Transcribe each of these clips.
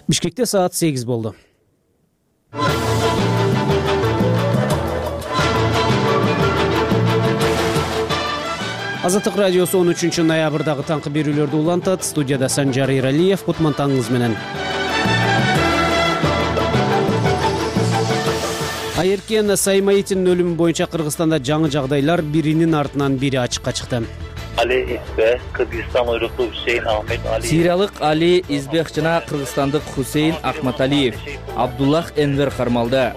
Бишкекте саат 8 болду. Азаттык радиосу 13 ноябрдагы таңкы берүүлөрдү улантат. Студияда Санжар Иралиев, кутмантаңыңыз менен. Айыркен Саймаитинин өлүмү боюнча Кыргызстанда жаңы жагдайлар биринин артынан бири ачыкка чыкты. Кыргызстан уйруктуу Хусейн Ахмед Алиев. Сириялык Али Избек жана кыргызстандык Хусейн Ахматалиев Абдуллах Энвер кармалды.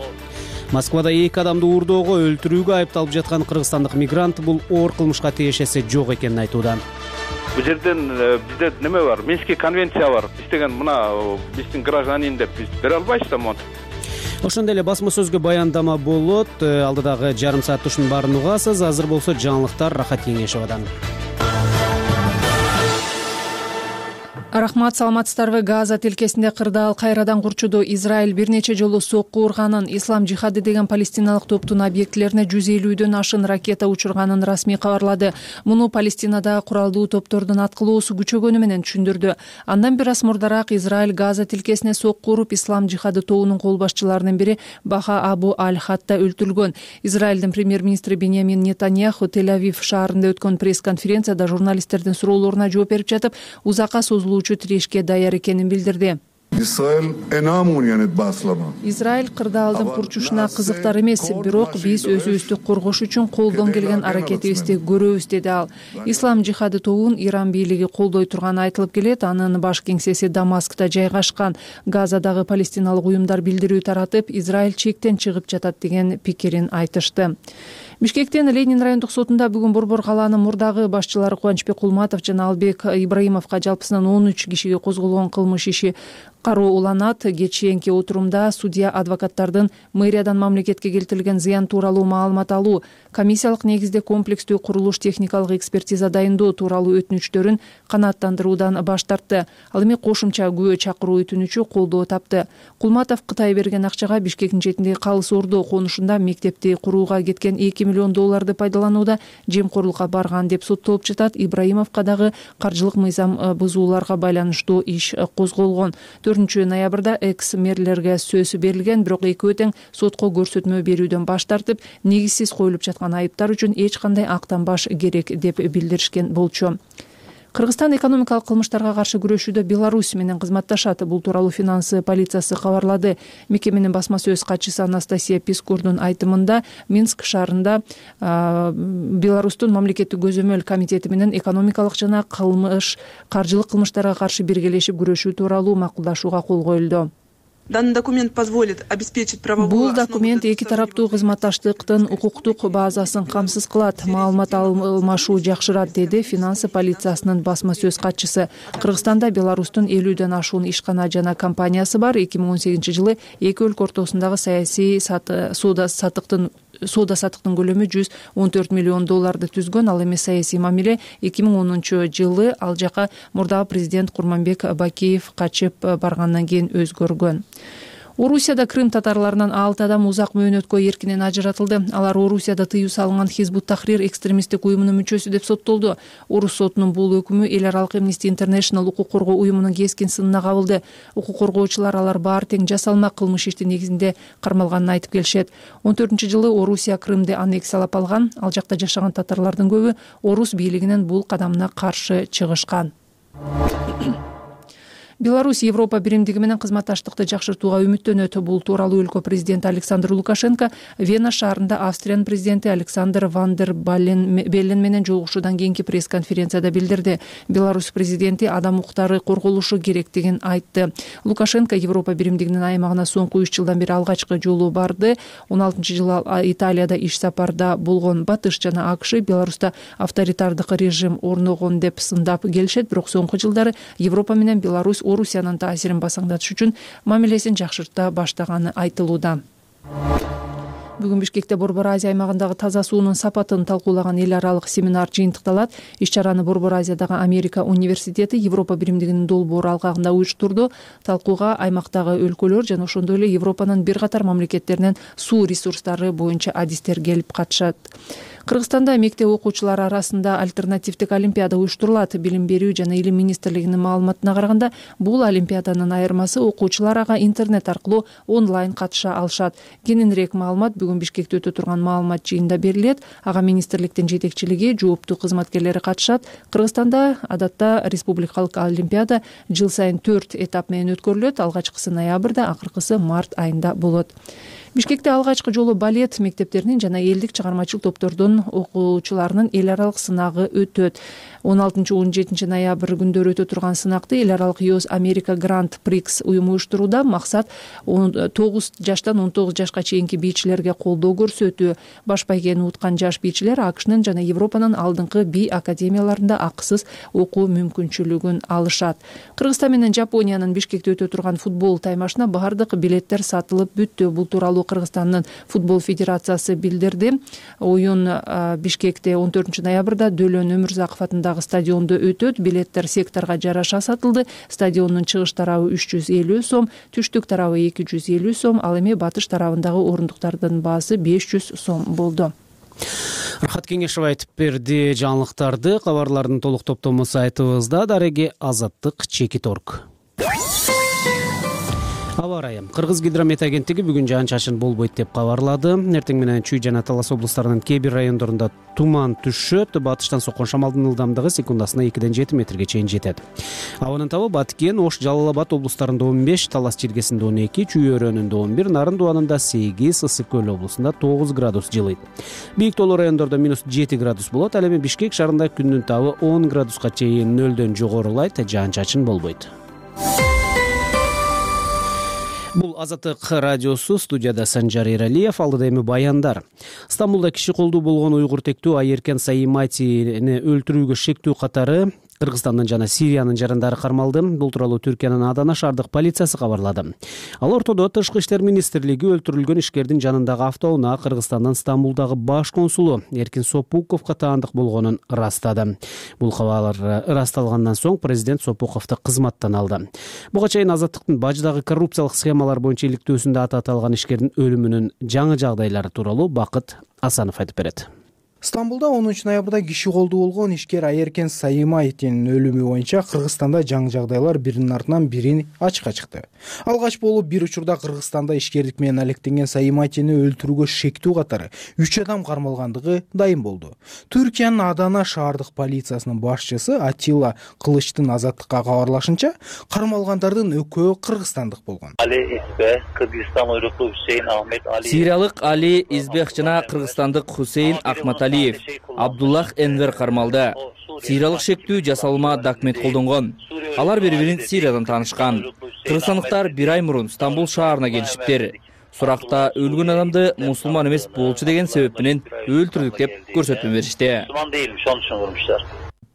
Москвада 2 адамды уурдоого, өлтүрүүгө айыпталып жаткан кыргызстандык мигрант бул оор кылмышка тиешеси жок экенин айтууда. Бул жерден бизде неме бар? Минский конвенция бар. Биз деген мына биздин гражданин деп биз бере албайбыз да монтип. Ошондой эле басма сөзгө баяндама болот. Алдыдагы жарым саатта ушунун баарын угасыз. Азыр болсо жаңылыктар Рахат Кеңешовадан. Рахмат, саламатсыздарбы? Газа тилкесинде кырдаал кайрадан курчуду. Израиль бир нече жолу сокку урганын, Ислам жихады деген палестиналык топтун объектилерине 150дөн ашын ракета учурганын расмий кабарлады. Муну Палестинада куралдуу топтордун аткылоосу күчөгөнү менен түшүндүрдү. Андан бир аз мурдараак Израиль Газа тилкесине сокку уруп, Ислам жихады тобунун кол башчыларынын бири Баха Абу Аль-Хатта өлтүрүлгөн. Израилдин премьер-министри Беньямин Нетаньяху Тель-Авив шаарында өткөн пресс-конференцияда журналисттердин суроолоруна жооп берип жатып, узакка созулуучу тирешке даяр экенин билдирди. Израиль кырдаалдын курчушуна кызыктар эмес, бирок биз өзүбүздү коргош үчүн колдон келген аракетибизди көрөбүз, деди ал. Ислам жихады тобун Иран бийлиги колдой турганы айтылып келет. Анын баш кеңсеси Дамаскта жайгашкан. Газадагы палестиналык уюмдар билдирүү таратып, Израиль чектен чыгып жатат деген пикирин айтышты. Бишкектен Ленин райондук сотунда бүгүн Борбор калаанын мурдагы башчылары Кубанычбек Кулматов жана Албек Ибраимовго жалпысынан 13 кишиге козголгон кылмыш иши кароо уланат. Кечээнки отурумда судья адвокаттардын мэриядан мамлекетке келтирилген зыян тууралуу маалымат алуу, комиссиялык негизде комплекстүү курулуш техникалык экспертиза дайындоо тууралуу өтүнүчтөрүн канааттандыруудан баш тартты. Ал эми кошумча күбө чакыруу өтүнүчү колдоо тапты. Кулматов Кытай берген акчага Бишкектин четиндеги Калыс Ордо конушунда мектепти курууга кеткен $2 миллион пайдаланууда жемкорлукка барган деп соттолуп жатат. Ибраимовго дагы каржылык мыйзам бузууларга байланыштуу иш козголгон. 4 ноябрда экс-мэрлерге сөз берилген, бирок экөө тең сотко көрсөтмө берүүдөн баш тартып, негизсиз коюлуп жаткан айыптар үчүн эч кандай актанбаш керек деп билдиришкен болчу. Кыргызстан экономикалык кылмыштарга каршы күрөшүүдө Беларусь менен кызматташат. Бул тууралуу финансы полициясы кабарлады. Мекеменин басма сөз катчысы Анастасия Пискурдун айтымында, Минск шаарында Беларустун мамлекеттик көзөмөл комитети менен экономикалык жана каржылык кылмыштарга каршы биргелешип күрөшүү тууралуу макулдашууга кол коюлду. Данный документ позволит обеспечить правовую Бул документ эки тараптуу кызматташтыктын укуктук базасын камсыз кылат, маалымат алмашуу жакшырат, деди финансы полициясынын басма сөз катчысы. Кыргызстанда Беларустун 50дөн ашуун ишкана жана компаниясы бар. 2018-жылы эки өлкө ортосундагы саясий соода саттыктын көлөмү $114 миллион түзгөн. Ал эми саясий мамиле 2010-жылы ал жака мурдагы президент Курманбек Бакиев качып баргандан кийин өзгөргөн. Орусияда Крым татарларынан 6 адам узак мөөнөткө эркинен ажыратылды. Алар Орусияда тыюу салынган Хизбут Тахрир экстремисттик уюмунун мүчөсү деп соттолду. Орус сотунун бул өкүмү эл аралык Amnesty International укук коргоо уюмунун кескин сынына кабылды. Укук коргоочулар алар баары тең жасалма кылмыш ишти негизинде кармалганын айтып келишет. 14-жылы Орусия Крымды аннексиялап алган. Ал жакта жашаган татарлардын көбү Орус бийлигинин бул кадамына каршы чыгышкан. Беларусь Европа биримдиги менен кызматташтыкты жакшыртууга үмүттөнөт. Бул тууралуу өлкө президенти Александр Лукашенко Вена шаарында Австриянын президенти Александр Ван дер Беллен менен жолугушуудан кийинки пресс-конференцияда билдирди. Беларусь президенти адам укуктары корголушу керектигин айтты. Лукашенко Европа биримдигинин аймагына соңку 3 жылдан бери алгачкы жолу барды. 16-жылы Италияда иш сапарда болгон. Батыш жана АКШ Беларуста авторитардык режим орногон деп сындап келишет, бирок соңку жылдары Европа менен Беларусь Орусиянын таасирин басаңдатыш үчүн мамилесин жакшырта баштаганы айтылууда. Бүгүн Бишкекте Борбор Азия аймагындагы таза суунун сапатын талкуулаган эл аралык семинар жыйынтыкталат. Иш-чараны Борбор Азиядагы Америка университети Европа биримдигинин долбоору алкагында уюштурду. Талкууга аймактагы өлкөлөр жана ошондой эле Европанын бир катар мамлекеттеринен суу ресурстары боюнча адистер келип катышат. Кыргызстанда мектеп окуучулары арасында альтернативдик олимпиада уюштурулат. Билим берүү жана илим министрлигинин маалыматына караганда, бул олимпиаданын айырмасы окуучулар ага интернет аркылуу онлайн катыша алышат. Кененирээк маалымат бүгүн Бишкекте өтө турган маалымат жыйынында берилет. Ага министрликтин жетекчилиги, жооптуу кызматкерлери катышат. Кыргызстанда адатта республикалык олимпиада жыл сайын 4 этап менен өткөрүлөт. Алгачкысы ноябрда, акыркысы март айында болот. Бишкекте алгачкы жолу балет мектептеринин жана элдик чыгармачыл топтордун окуучуларынын эл аралык сынагы өтөт. 16-17 ноябрь күндөрү өтө турган сынакты эл аралык US America Grand Prix уюму уюштурууда. Максат 9 жаштан 19 жашка чейинки бийчилерге колдоо көрсөтүү. Баш байгени уткан жаш бийчилер АКШнын жана Европанын алдыңкы бий академияларында акысыз окуу мүмкүнчүлүгүн алышат. Кыргызстан менен Жапониянын Бишкекте өтө турган футбол таймашына баардык билеттер сатылып бүттү. Бул тууралуу Кыргызстандын футбол федерациясы билдирди. Оюн Бишкекте 14 ноябрда Дөлөн Өмүрзаков атындагы стадиондо өтөт. Билеттер секторга жараша сатылды. Стадиондун чыгыш тарабы 350 сом, түштүк тарабы 250 сом, ал эми батыш тарабындагы орундуктардын баасы 500 сом болду. Рахат Кеңешов айтып берди жаңылыктарды. Кабарлардын толук топтому сайтыбызда. Дареги Азаттык Чекит.орг. Аба ырайы. Кыргыз гидромет агенттиги бүгүн жаан-чачын болбойт деп кабарлады. Эртең менен Чүй жана Талас облустарынын кээ бир райондорунда туман түшөт. Батыштан соккон шамалдын ылдамдыгы секундасына 2-7 метрге чейин жетет. Абанын табы Баткен, Ош, Жалал Абад облустарында 15, Талас жергесинде 12, Чүй өрөөнүндө 11, Нарын Дуанында 8, Ысык Көл облусунда 9 градус жылыйт. Бийик тоолуу райондордо -7 градус болот. Ал эми Бишкек шаарында күндүн табы 10 градуска чейин нөлдөн жогорулайт, жаан-чачын болбойт. Бул Азаттык радиосу, студияда Санжар Эралиев, алдыда эми баяндар. Стамбулда киши колдуу болгон уйгур тектүү Айеркен Саиматини өлтүрүүгө шектүү катары Кыргызстандын жана Сириянын жарандары кармалды. Бул тууралуу Түркиянын Адана шаардык полициясы кабарлады. Ал ортодо Тышкы иштер министрлиги өлтүрүлгөн ишкердин жанындагы автоунаа Кыргызстандын Стамбулдагы баш консулу Эркин Сопуковго таандык болгонун ырастады. Бул кабар ырасталгандан соң президент Сопуковду кызматтан алды. Буга чейин Азаттыктын баждагы коррупциялык схемалар боюнча иликтөөсүндө аты аталган ишкердин өлүмүнүн жаңы жагдайлары тууралуу Бакыт Асанов айтып берет. Стамбулда 10 ноябрда киши колдуу болгон ишкер Айеркен Саимайтинин өлүмү боюнча Кыргызстанда жаңы жагдайлар биринин артынан бирин ачыкка чыкты. Алгач болуп бир учурда Кыргызстанда ишкерлик менен алектенген Саимайтини өлтүрүүгө шектүү катары 3 адам кармалгандыгы дайым болду. Түркиянын Адана шаардык полициясынын башчысы Атилла Кылычтын Азаттыкка кабарлашынча, кармалгандардын экөө кыргызстандык болгон. Сириялык Али Избек жана кыргызстандык Хусейн Ахматалиев, Абдуллах Энвер кармалды. Сириялык шектүү жасалма документ колдонгон. Алар бири-бирин Сириядан таанышкан. Кыргызстандыктар 1 ай мурун Стамбул шаарына келишиптир. Суракта өлгөн адамды мусулман эмес болчу деген себеп менен өлтүрдүк деп көрсөтмө беришти.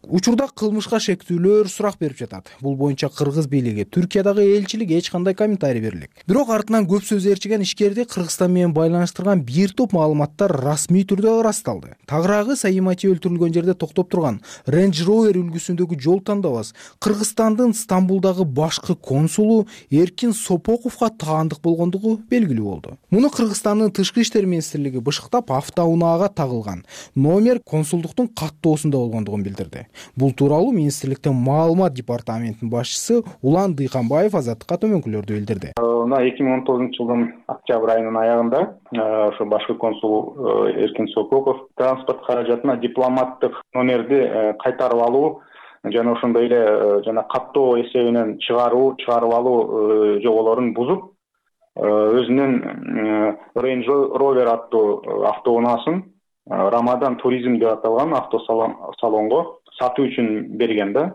Учурда кылмышка шектүүлөр сурак берип жатат. Бул боюнча Кыргыз бийлиги, Түркиядагы элчилик эч кандай комментарий берилек. Бирок артынан көп сөз ээрчиген ишкерди Кыргызстан менен байланыштырган бир топ маалыматтар расмий түрдө ырасталды. Тагыраагы Саимати өлтүрүлгөн жерде токтоп турган Range Rover үлгүсүндөгү жол тандабас Кыргызстандын Стамбулдагы башкы консулу Эркин Сопоковго таандык болгондугу белгилүү болду. Муну Кыргызстандын Тышкы иштер министрлиги бышыктап автоунаага тагылган номер консулдуктун каттоосунда болгондугун билдирди. Бул тууралуу министрликтин маалымат департаментинин башчысы Улан Дыйканбаев Азаттыкка төмөнкүлөрдү билдирди. 2019-жылдын октябрь айынын аягында ошо башкы консул Эркин Сопоков транспорт каражатына дипломаттык номерди кайтарып алуу жана ошондой эле жана каттоо эсебинен чыгарып алуу жоболорун бузуп, өзүнүн Range Rover аттуу автоунаасын Рамадан туризм деп аталган автосалонго сатуу үчүн берген да.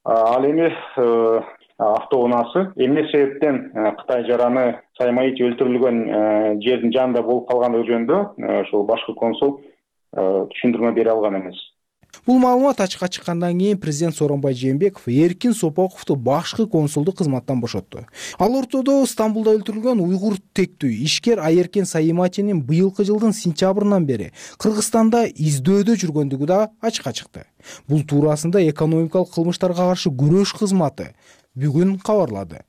Ал эми автоунаасы эмне себептен Кытай жараны Саимати өлтүрүлгөн жердин жанында болуп калгандыгы жөнүндө ошол башкы консул түшүндүрмө бере алган эмес. Бул маалымат ачыкка чыккандан кийин президент Сооронбай Жээнбеков Эркин Сопоковду башкы консулдук кызматтан бошотту. Ал ортодо Стамбулда өлтүрүлгөн уйгур тектүү ишкер Айеркен Саиматинин быйылкы жылдын сентябрынан бери Кыргызстанда издөөдө жүргөндүгү да ачыкка чыкты. Бул туурасында экономикалык кылмыштарга каршы күрөш кызматы бүгүн кабарлады.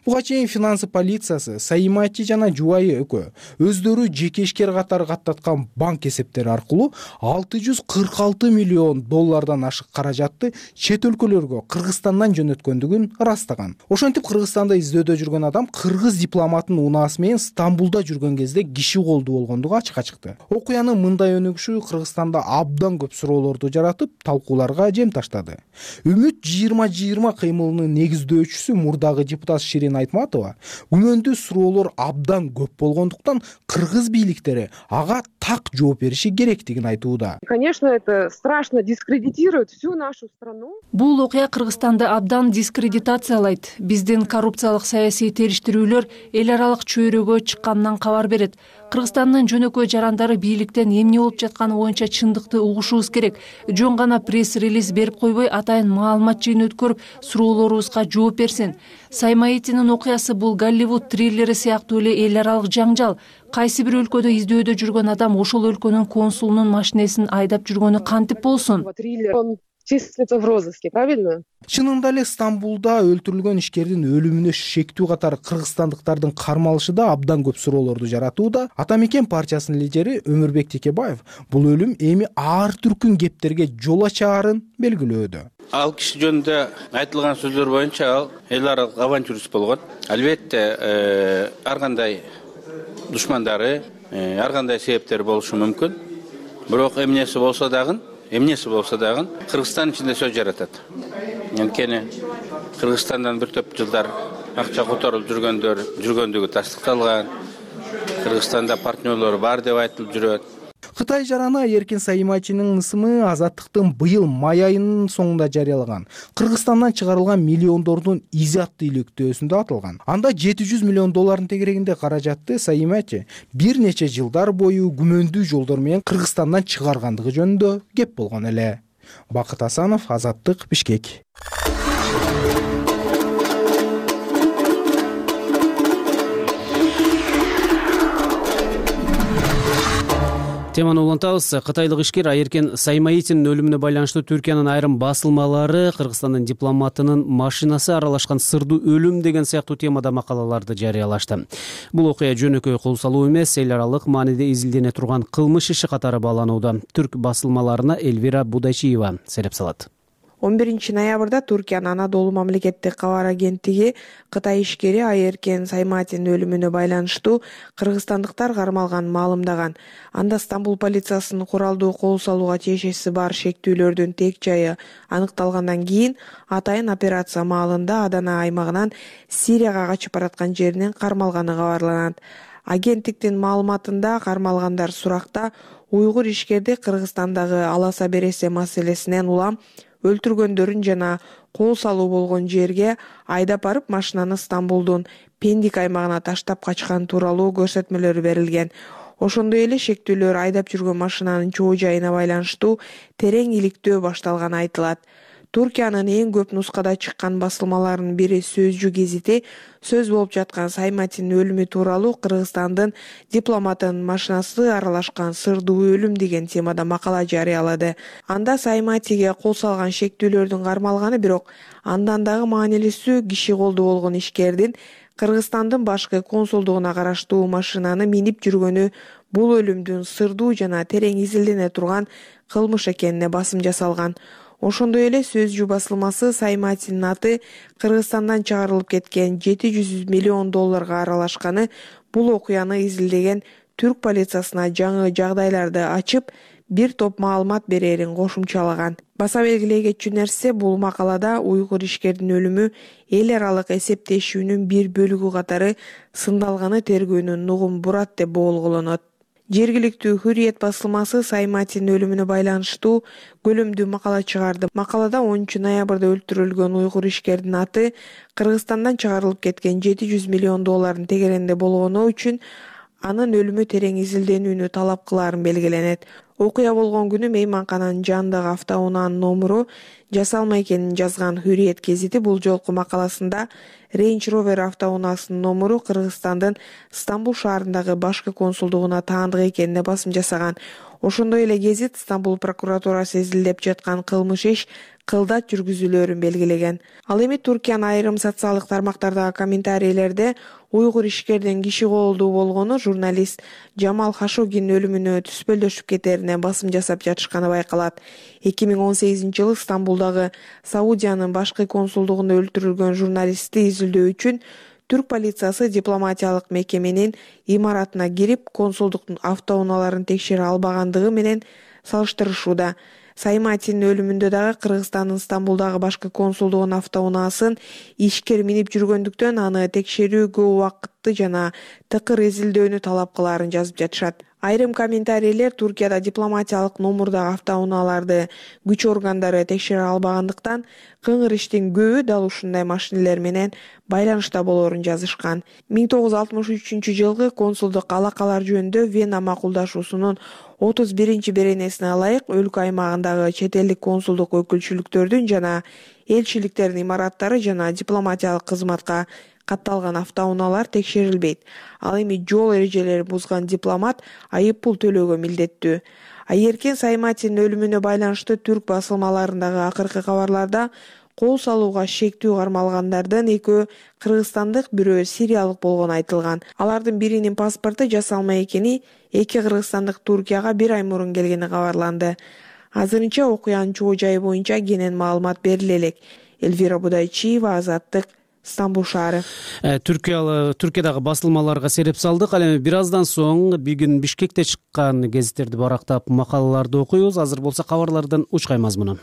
Буга чейин финансы полициясы Саимати жана жубайы экөө өздөрү жеке ишкер катары каттаткан банк эсептери аркылуу $646 миллион ашык каражатты чет өлкөлөргө Кыргызстандан жөнөткөндүгүн ырастаган. Ошентип Кыргызстанда издөөдө жүргөн адам кыргыз дипломатынын унаасы менен Стамбулда жүргөн кезде киши колдуу болгондугу ачыкка чыкты. Окуянын мындай өнүгүшү Кыргызстанда абдан көп суроолорду жаратып, талкууларга жем таштады. Үмүт 2020 кыймылынын негиздөөчүсү мурдагы депутат Ширин Айтматова күмөндүү суроолор абдан көп болгондуктан кыргыз бийликтери ага так жооп бериши керектигин айтууда. Конечно, это страшно дискредитирует всю нашу страну. Бул окуя Кыргызстанды абдан дискредитациялайт. Биздин коррупциялык саясий териштирүүлөр эл аралык чөйрөгө чыкканынан кабар берет. Кыргызстандын жөнөкөй жарандары бийликтен эмне болуп жатканы боюнча чындыкты угушубуз керек. Жөн гана пресс-релиз берип койбой, атайын маалымат жыйын өткөрүп, суроолорубузга жооп берсин. Саиматинин окуясы бул Голливуд триллери сыяктуу эле эл аралык жаңжал. Кайсы бир өлкөдө издөөдө жүргөн адам ошол өлкөнүн консулунун машинесин айдап жүргөнү кантип болсун? Он числится в розыске, правильно? Чынында эле Стамбулда өлтүрүлгөн ишкердин өлүмүнө шектүү катары кыргызстандыктардын кармалышы да абдан көп суроолорду жаратууда. Ата мекен партиясынын лидери Өмүрбек Текебаев бул өлүм эми ар түркүн кептерге жол ачаарын белгилөөдө. Ал киши жөнүндө айтылган сөздөр боюнча ал эл аралык авантюрист болгон. Албетте ар кандай душмандары, ар кандай себептер болушу мүмкүн. Бирок эмнеси болсо дагы Кыргызстан ичинде сөз жаратат. Анткени Кыргызстандан бир топ жылдар акча которуп жүргөндүгү тастыкталган. Кыргызстанда партнерлору бар деп айтылып жүрөт. Кытай жараны Айеркен Саиматинин ысымы Азаттыктын быйыл май айынын соңунда жарыялаган Кыргызстандан чыгарылган миллиондордун изи аттуу илектөөсүндө атылган. Анда $700 миллион тегерегинде каражатты Саимати бир нече жылдар бою күмөндүү жолдор менен Кыргызстандан чыгаргандыгы жөнүндө кеп болгон эле. Бакыт Асанов, Азаттык, Бишкек. Теманы улантабыз. Кытайлык ишкер Айеркен Саиматинин өлүмүнө байланыштуу Түркиянын айрым басылмалары Кыргызстандын дипломатынын машинасы аралашкан сырдуу өлүм деген сыяктуу темада макалаларды жарыялашты. Бул окуя жөнөкөй кол салуу эмес, эл аралык мааниде изилдене турган кылмыш иши катары бааланууда. Түрк басылмаларына Элвира Будайчиева сереп салат. 11 ноябрда Туркиянын Анадолу мамлекеттик кабар агенттиги Кытай ишкери Айеркен Саиматинин өлүмүнө байланыштуу кыргызстандыктар кармалганын маалымдаган. Анда Стамбул полициясынын куралдуу кол салууга тиешеси бар шектүүлөрдүн тек жайы аныкталгандан кийин атайын операция маалында Адана аймагынан Сирияга качып бараткан жеринен кармалганы кабарланат. Агенттиктин маалыматында кармалгандар суракта уйгур ишкерди Кыргызстандагы аласа бересе маселесинен улам өлтүргөндөрүн жана кол салуу болгон жерге айдап барып машинаны Стамбулдун Пендик аймагына таштап качкан тууралуу көрсөтмөлөр берилген. Ошондой эле шектүүлөр айдап жүргөн машинанын чоо жайына байланыштуу терең иликтөө башталганы айтылат. Туркиянын эң көп нускада чыккан басылмаларынын бири Сөзчү гезити сөз болуп жаткан Саиматинин өлүмү тууралуу Кыргызстандын дипломатынын машинасы аралашкан сырдуу өлүм деген темада макала жарыялады. Анда Саиматиге кол салган шектүүлөрдүн кармалганы, бирок андан дагы маанилүүсү киши колдуу болгон ишкердин Кыргызстандын башкы консулдугуна караштуу машинаны минип жүргөнү бул өлүмдүн сырдуу жана терең изилдене турган кылмыш экенине басым жасалган. Ошондой эле Сөзчү басылмасы Саиматинин аты Кыргызстандан чыгарылып кеткен $700 миллион аралашканы бул окуяны изилдеген түрк полициясына жаңы жагдайларды ачып, бир топ маалымат берерин кошумчалаган. Баса белгилей кетчү нерсе, бул макалада уйгур ишкердин өлүмү эл аралык эсептешүүнүн бир бөлүгү катары сындалганы тергөөнүн нугун бурат деп болголонот. Жергиликтүү Hürriyet басылмасы Саиматинин өлүмүнө байланыштуу көлөмдүү макала чыгарды. Макалада 10 ноябрда өлтүрүлгөн уйгур ишкердин аты Кыргызстандан чыгарылып кеткен $700 миллион тегерегинде болгону үчүн анын өлүмү терең изилденүүнү талап кылаарын белгиленет. Окуя болгон күнү мейманкананын жанындагы автоунаанын номуру жасалма экенин жазган Hürriyet гезити бул жолку макаласында Range Rover автоунаасынын номуру Кыргызстандын Стамбул шаарындагы башкы консулдугуна таандык экенине басым жасаган. Ошондой эле гезит Стамбул прокуратурасы изилдеп жаткан кылмыш иш кылдат жүргүзүүлөрүн белгилеген. Ал эми Туркиянын айрым социалдык тармактардагы комментарийлерде уйгур ишкердин киши колдуу болгону журналист Жамал Хашогинин өлүмүнө түспөлдөшүп кетерине басым жасап жатышканы байкалат. 2018-жылы Стамбулдагы Саудиянын башкы консулдугунда өлтүрүлгөн журналистти изилдөө үчүн түрк полициясы дипломатиялык мекеменин имаратына кирип, консулдуктун автоунааларын текшере албагандыгы менен салыштырышууда. Сайматинин өлүмүндө дагы Кыргызстандын Стамбулдагы башкы консулдугунун автоунаасын ишкер минип жүргөндүктөн аны текшерүү көп убакытты жана тыкыр изилдөөнү талап кылаарын жазып жатышат. Айрым комментарийлер Туркияда дипломатиялык номурдагы автоунааларды күч органдары текшере албагандыктан кыңыр иштин көбү дал ушундай машинелер менен байланышта болоорун жазышкан. 1963-жылкы консулдук алакалар жөнүндө Вена макулдашуусунун 31-беренесине ылайык өлкө аймагындагы чет элдик консулдук өкүлчүлүктөрдүн жана элчиликтердин имараттары жана дипломатиялык кызматка катталган автоунаалар текшерилбейт. Ал эми жол эрежелерин бузган дипломат айып пул төлөөгө милдеттүү. Айеркен Сайматинин өлүмүнө байланыштуу түрк басылмаларындагы акыркы кабарларда кол салууга шектүү кармалгандардын экөө кыргызстандык, бирөө сириялык болгону айтылган. Алардын биринин паспорту жасалма экени, эки кыргызстандык Туркияга 1 ай мурун келгени кабарланды. Азырынча окуянын чоо жайы боюнча кенен маалымат бериле элек. Эльвира Будайчиева, Азаттык, Стамбул шаары. Түркиядагы басылмаларга сереп салдык. Ал эми бир аздан соң бүгүн Бишкекте чыккан гезиттерди барактап макалаларды окуйбуз. Азыр болсо кабарлардын учкай мазмуну.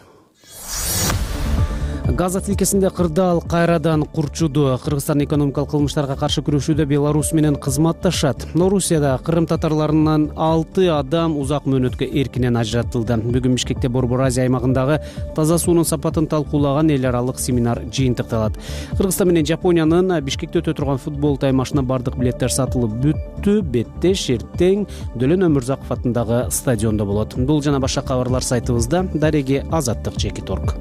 Газа тилкесинде кырдаал кайрадан курчуду. Кыргызстан экономикалык кылмыштарга каршы күрөшүүдө Беларусь менен кызматташат. Орусияда Кырым татарларынан 6 адам узак мөөнөткө эркинен ажыратылды. Бүгүн Бишкекте Борбор Азия аймагындагы таза суунун сапатын талкуулаган эл аралык семинар жыйынтыкталат. Кыргызстан менен Жапониянын Бишкекте өтө турган футбол таймашына бардык билеттер сатылып бүттү. Беттеш эртең Дөлөн Өмүрзаков атындагы стадиондо болот. Бул жана башка кабарлар сайтыбызда. Дареги Азаттык.org.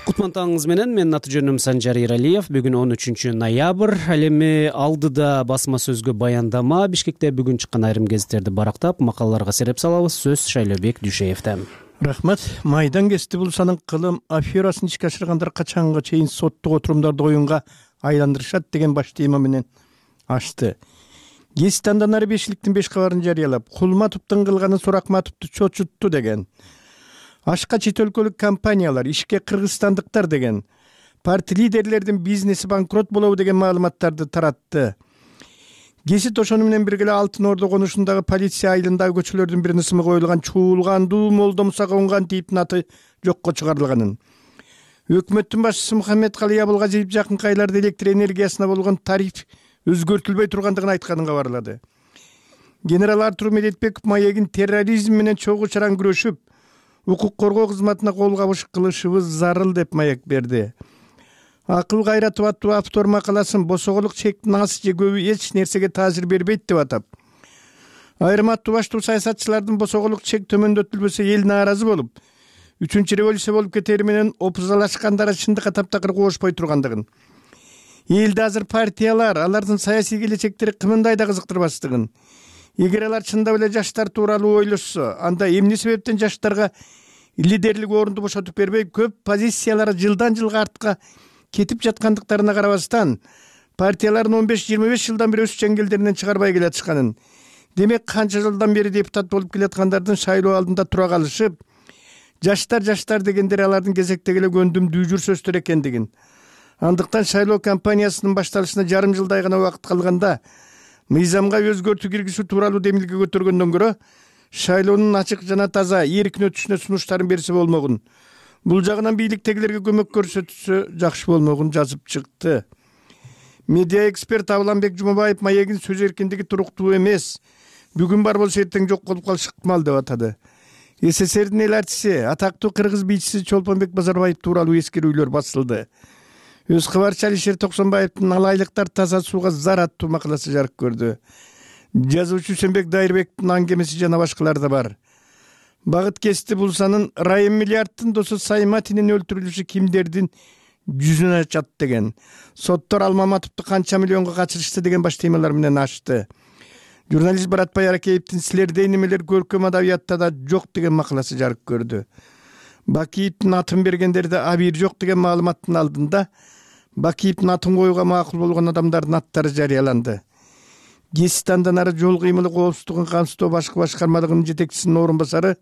Кутман менен мен аты жөнүм Санжар Эралиев. Бүгүн 13 ноябрь. Ал эми алдыда басма сөзгө баяндама. Бишкекте бүгүн чыккан айрым гезиттерди барактап, макалаларга сереп салабыз. Сөз Шайлообек Дүйшеевде. Рахмат. Майдан кести булсанын кылым аферасын ишке ашыргандар качанга чейин соттук отурумдарды оюнга айландырышат деген баш тема менен ачты. Гезит андан ары 5-ликтин 5 кабарын жарыялап, Кулматовдун кылганын Суракматовду чочутту деген. Ашка чет өлкөлүк компаниялар, ишке кыргызстандыктар деген, парти лидерлердин бизнеси банкрот болобу деген маалыматтарды таратты. Гезит ошону менен бирге Алтын Ордо конушундагы полиция айылындагы көчөлөрдүн биринин ысымы коюлган чуулгандуу Молдомуса конган типтин аты жокко чыгарылганын. Өкмөттүн башчысы Мухаммед Калый Абылгазиев жакынкы айларда электр энергиясына болгон тариф өзгөртүлбөй тургандыгын айтканын кабарлады. Генерал Артур Медетбеков маегин терроризм менен чогуу чаран күрөшүп, укук коргоо кызматына кол кабыш кылышыбыз зарыл деп маек берди. Акыл Кайратов аттуу автор макаласын босоголук чектин аз же көбү эч нерсеге таасир бербейт деп атап, айрым аттуу баштуу саясатчылардын босоголук чек төмөндөтүлбөсө эл нааразы болуп, 3-чү революция болуп кетери менен опузалашкандары чындыкка таптакыр кошпой тургандыгын, элди азыр партиялар, алардын саясий келечектери кымындай да кызыктырбастыгын, эгер алар чындап эле жаштар тууралуу ойлошсо, анда эмне себептен жаштарга лидерлик орунду бошотуп бербей, көп позициялары жылдан жылга артка кетип жаткандыктарына карабастан, партиялардын 15-25 жылдан бери өз чеңгелдеринен чыгарбай келатышканын, демек канча жылдан бери депутат болуп келаткандардын шайлоо алдында тура калышып, жаштар дегендер алардын кезектеги эле көндүмдүү жүрсөздөр экендигин, андыктан шайлоо кампаниясынын башталышына жарым жылдай гана убакыт калганда мыйзамга өзгөртүү киргизүү тууралуу демилге көтөргөндөн көрө шайлоонун ачык жана таза эркин өтүшүнө сунуштарын берсе болмогун, бул жагынан бийликтегилерге көмөк көрсөтсө жакшы болмогун жазып чыкты. Медиа эксперт Абыланбек Жумабаев маегин сөз эркиндиги туруктуу эмес, бүгүн бар болсо эртең жок болуп калышы ыктымал деп атады. СССРдин эл артиси, атактуу кыргыз бийчиси Чолпонбек Базарбаев тууралуу эскерүүлөр басылды. Өз кабарчы Алишер Токсонбаевдин алайлыктар таза сууга зар аттуу макаласы жарык көрдү. Жазуучу Үсенбек Дайырбектин аңгемеси жана башкалар да бар. Багыт кести булсанын Райым Миллиарддын досу Сайматинин өлтүрүлүшү кимдердин жүзүнө ачат деген. Соттор Алмаматовду канча миллионго качырышты деген баш темалар менен ачты. Журналист Баратбай Аракеевдин силердей немелер көркөм адабиятта да жок деген макаласы жарык көрдү. Бакиевдин атын бергендерде абийир жок деген маалыматтын алдында Бакиевдин атын коюуга макул болгон адамдардын аттары жарыяланды. Гестандан ары жол кыймылы коопсуздугун камсыздоо башкы башкармалыгынын жетекчисинин орун басары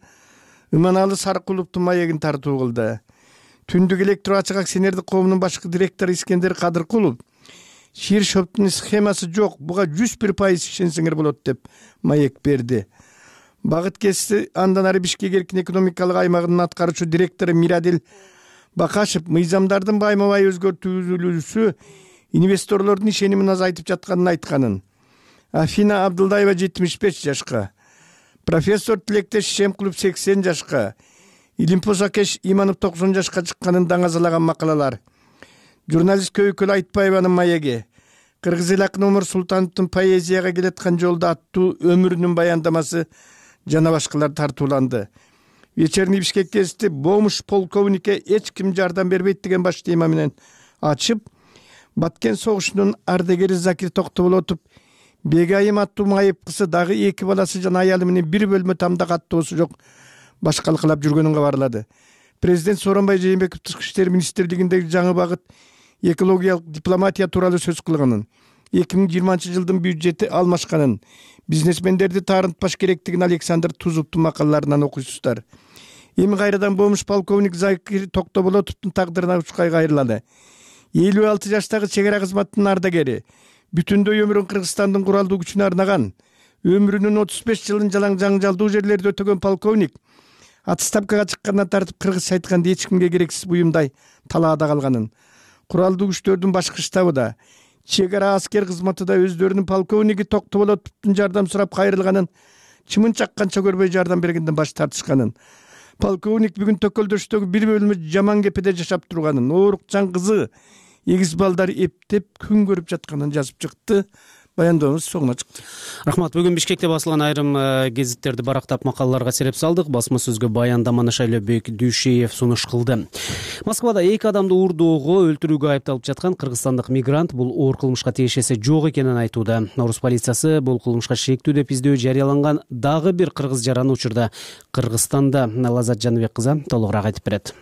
Иманалы Сарыкуловдун маегин тартуу кылды. Түндүк электро ачык акционердик коомунун башкы директору Искендер Кадыркулов Шир шоптун схемасы жок, буга 101% ишенсеңер болот деп маек берди. Багыт кести андан ары Бишкек эркин экономикалык аймагынын аткаруучу директору Мирадил Бакашев мыйзамдардын байма-бай өзгөртүлүүсү инвесторлордун ишенимин азайтып жатканын айтканын. Афина Абдылдаева 75 жашка, профессор Тилектеш Шемкулов 80 жашка, Илимпоз Акеш Иманов 90 жашка чыкканын даңазалаган макалалар. Журналист Көйкөл Айтпаеванын маеги, кыргыз эл акыны Омар Султановдун поэзияга келаткан жолдо аттуу өмүрүнүн баяндамасы жана башкалар тартууланды. Вечерний Бишкек гезити бомуш полковникке эч ким жардам бербейт деген баш тема менен ачып, Баткен согушунун ардагери Закир Токтоболотов Бегайым аттуу майыпкысы дагы 2 баласы жана аялы менен бир бөлмө тамда каттоосу жок башкалкалап жүргөнүн кабарлады. Президент Сооронбай Жээнбеков Тышкы иштер министрлигиндеги жаңы багыт экологиялык дипломатия тууралуу сөз кылганын, 2020-жылдын бюджети алмашканын, бизнесмендерди таарынтпаш керектигин Александр Тузовдун макалаларынан окуйсуздар. Эми кайрадан бомуш полковник Закир Токтоболотовдун тагдырына учкай кайрылады. 56 жаштагы чек ара кызматынын ардагери, бүтүндөй өмүрүн Кыргызстандын куралдуу күчүнө арнаган, өмүрүнүн 35 жылын жалаң жаңжалдуу жерлерде өтөгөн полковник отставкага чыккандан тартып кыргызча айтканда эч кимге керексиз буюмдай талаада калганын, куралдуу күчтөрдүн башкы штабы да, чек ара аскер кызматы да өздөрүнүн полковниги Токтоболотовдун жардам сурап кайрылганын, чымын чакканча көрбөй жардам бергенден баш тартышканын, полковник бүгүн Төкөлдөштөгү бир бөлмө жаман кепеде жашап турганын, оорукчан кызы, эгиз балдар эптеп күн көрүп жатканын жазып чыкты. Баяндоомуз соңуна чыкты. Рахмат. Бүгүн Бишкекте басылган айрым гезиттерди барактап макалаларга сереп салдык. Басма сөзгө баяндаманы Шайлообек Дүйшеев сунуш кылды. Москвада 2 адамды уурдоого, өлтүрүүгө айыпталып жаткан кыргызстандык мигрант бул оор кылмышка тиешеси жок экенин айтууда. Орус полициясы бул кылмышка шектүү деп издөө жарыяланган дагы бир кыргыз жараны учурда Кыргызстанда. Лазат Жаныбек кызы толугураак айтып берет.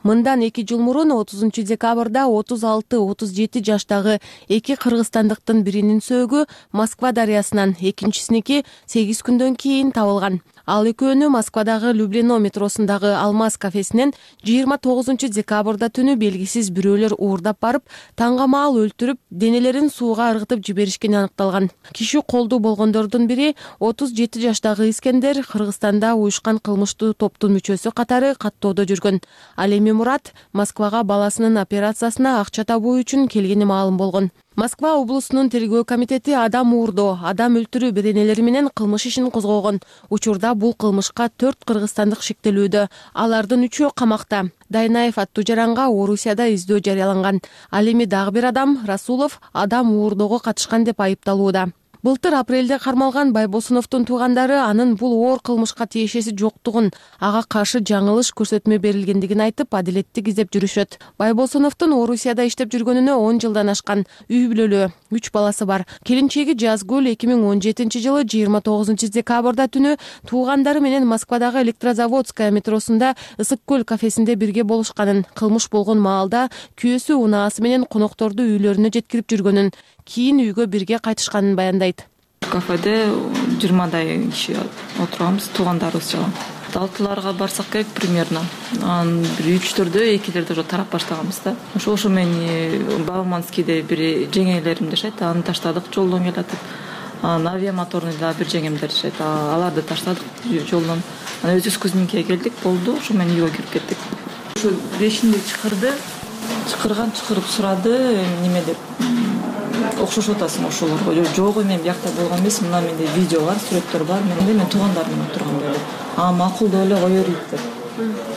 Мындан 2 жыл мурун 30 декабрда 36-37 жаштагы 2 кыргызстандыктын биринин сөөгү Москва дарыясынан, экинчисиники 8 күндөн кийин табылган. Ал экөөнү Москвадагы Люблино метросундагы Алмаз кафесинен 29 декабрда түнү белгисиз бирөөлөр уурдап барып, таңга маал өлтүрүп, денелерин сууга ыргытып жиберишкени аныкталган. Киши колдуу болгондордун бири 37 жаштагы Искендер Кыргызстанда уюшкан кылмыштуу топтун мүчөсү катары каттоодо жүргөн. Ал эми Мурат Москвага баласынын операциясына акча табуу үчүн келгени маалым болгон. Москва облусунун тергөө комитети адам уурдоо, адам өлтүрүү беренелери менен кылмыш ишин козгогон. Учурда бул кылмышка 4 кыргызстандык шектелүүдө. Алардын 3-өө камакта. Дайнаев аттуу жаранга Орусияда издөө жарыяланган. Ал эми дагы бир адам, Расулов, адам уурдоого катышкан деп айыпталууда. Былтыр апрелде кармалган Байбосуновдун туугандары анын бул оор кылмышка тиешеси жоктугун, ага каршы жаңылыш көрсөтмө берилгендигин айтып, адилеттик издеп жүрүшөт. Байбосуновдун Орусияда иштеп жүргөнүнө 10 жылдан ашкан, үй бүлөлүү, 3 баласы бар. Келинчеги Жазгүл 2017 жылы 29 декабрда түнү туугандары менен Москвадагы Электрозаводская метросунда Ысык көл кафесинде бирге болушканын, кылмыш болгон маалда күйөөсү унаасы менен конокторду үйлөрүнө жеткирип жүргөнүн, кийин үйгө бирге кайтышканын баяндайт. Кафеде 20 киши отурганбыз, туугандарыбыз жана. 6-ларга барсак керек примерно. Анан бир 3-4дө 2-лерде уже тарап баштаганбыз да. Ошо мени Бауманскийде бир жеңелерим жашайт, аны таштадык жолдон келатып. Анан авиамоторный да бир жеңемдер жашайт. Аларды таштадык жолдон. Анан өзүбүз Кузьминкеге келдик, болду. Ошо менен үйгө кирип кеттик. Ошо бешинде чакырды. Чакырып сурады, неме деп. Окшошуп атасың ошолорго. Жок, мен биякта болгон эмес, мына менде видео бар, сүрөттөр бар. Мен туугандарым менен отургам dedi. Макул деп эле кое берейт деп.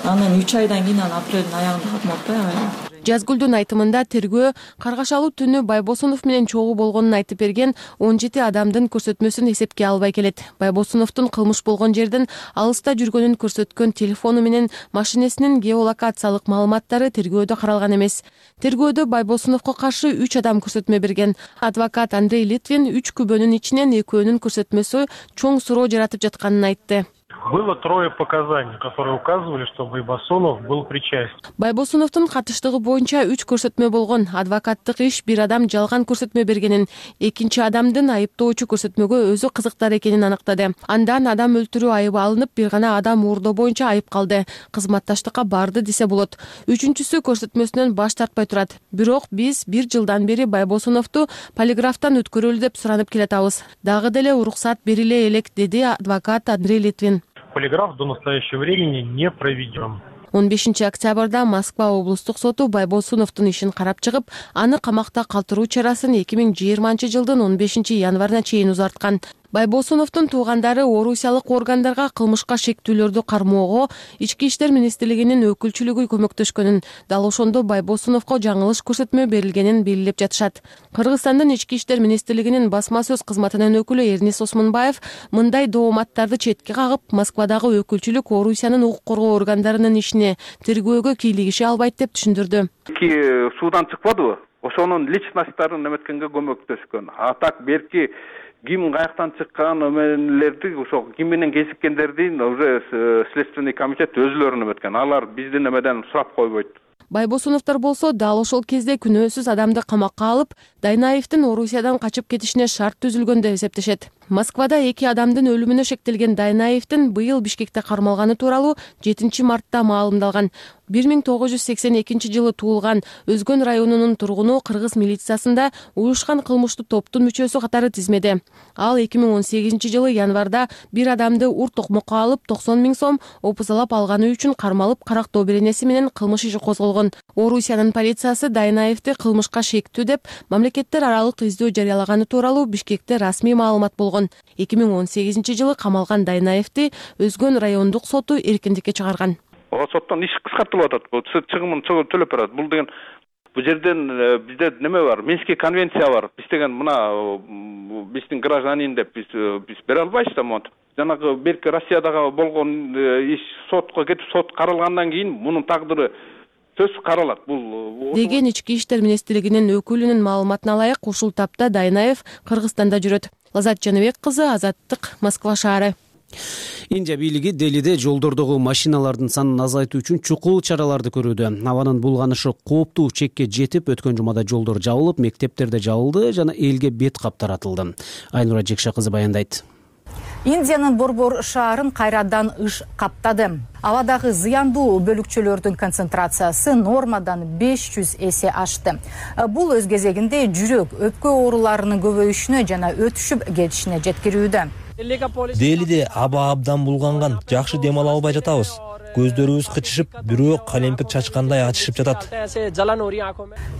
Анан 3 айдан кийин апрелдин аягында катмап атпайбы. Жазгүлдүн айтымында тергөө каргашалуу түнү Байбосунов менен чогуу болгонун айтып берген 17 адамдын көрсөтмөсүн эсепке албай келет. Байбосуновдун кылмыш болгон жерден алыста жүргөнүн көрсөткөн телефону менен машинесинин геолокациялык маалыматтары тергөөдө каралган эмес. Тергөөдө Байбосуновго каршы 3 адам көрсөтмө берген. Адвокат Андрей Литвин 3 күбөнүн ичинен экөөнүн көрсөтмөсү чоң суроо жаратып жатканын айтты. Было 3 показаний, которые указывали, что Байбосунов был причастен. Байбосуновдун катыштыгы боюнча 3 көрсөтмө болгон. Адвокаттык иш бир адам жалган көрсөтмө бергенин, экинчи адамдын айыптоочу көрсөтмөгө өзү кызыктар экенин аныктады. Андан адам өлтүрүү айыбы алынып, бир гана адам уурдоо боюнча айып калды. Кызматташтыкка барды десе болот. Үчүнчүсү көрсөтмөсүнөн баш тартпай турат. Бирок биз 1 жылдан бери Байбосуновду полиграфтан өткөрөлү деп суранып келатабыз. Дагы деле уруксат бериле элек, деди адвокат Андрей Литвин. Полиграф до настоящего времени не проведен. 15 октябрда Москва облустук соту Байбосуновдун ишин карап чыгып, аны камакта калтыруу чарасын 2020 жылдын 15 январына чейин узарткан. Байбосуновдун туугандары орусиялык органдарга кылмышка шектүүлөрдү кармоого Ички иштер министрлигинин өкүлчүлүгү көмөктөшкөнүн, дал ошондо Байбосуновго жаңылыш көрсөтмө берилгенин белгилеп жатышат. Кыргызстандын Ички иштер министрлигинин басма сөз кызматынын өкүлү Эрнис Осмонбаев мындай дооматтарды четке кагып, Москвадагы өкүлчүлүк Орусиянын укук коргоо органдарынын ишине тергөөгө кийлигише албайт деп түшүндүрдү. Судан чыкпадыбы? Ошонун личносттарын эметкенге көмөктөшкөн. А так берки ким каяктан чыккан эмелерди, ошо ким менен кезиккендердин уже следственный комитет өзүлөрүн эметкен. Алар биздин эмеден сурап койбойт. Байбосуновдор болсо дал ошол кезде күнөөсүз адамды камакка алып, Дайнаевдин Орусиядан качып кетишине шарт түзүлгөн деп эсептешет. Москвада 2 адамдын өлүмүнө шектелген Дайнаевдин быйыл Бишкекте кармалганы тууралуу 7 мартта маалымдалган. 1982 жылы туулган, Өзгөн районунун тургуну кыргыз милициясында уюшкан кылмыштуу топтун мүчөсү катары тизмеде. Ал 2018 жылы январда бир адамды ур токмокко алып 90 000 сом опузалап алганы үчүн кармалып карактоо беренеси менен кылмыш иши козголгон. Орусиянын полициясы Дайнаевди кылмышка шектүү деп мамлекеттер аралык издөө жарыялаганы тууралуу Бишкекте расмий маалымат болгон. 2018 жылы камалган Дайнаевди Өзгөн райондук соту эркиндикке чыгарган. Соттон иш кыскартылып атат. Чыгымын төлөп берет. Бул деген бул жерден бизде неме бар? Минский конвенция бар. Биз деген мына биздин гражданин деп биз бере албайбыз да монтип. Жанагы берки Россиядагы болгон иш сотко кетип, сот каралгандан кийин мунун тагдыры сөзсүз каралат. Бул деген Ички иштер министрлигинин өкүлүнүн маалыматына ылайык ушул тапта Дайнаев Кыргызстанда жүрөт. Лазат Жаныбек кызы, Азаттык, Москва шаары. Индия бийлиги Делиде жолдордогу машиналардын санын азайтуу үчүн чукул чараларды көрүүдө. Абанын булганышы кооптуу чекке жетип, өткөн жумада жолдор жабылып, мектептерде жабылды жана элге бет кап таратылды. Айнура Жекше кызы баяндайт. Индиянын Борбор шаарын кайрадан ыш каптады. Абадагы зыяндуу бөлүкчөлөрдүн концентрациясы нормадан 500 эсе ашты. Бул өз кезегинде жүрөк, өпкө ооруларынын көбөйүшүнө жана өтүшүп кетишине жеткирүүдө. Делиде аба абдан булганган, жакшы дем ала албай жатабыз. Көздөрүбүз кычышып, бирөө калемпир чачкандай ачышып жатат.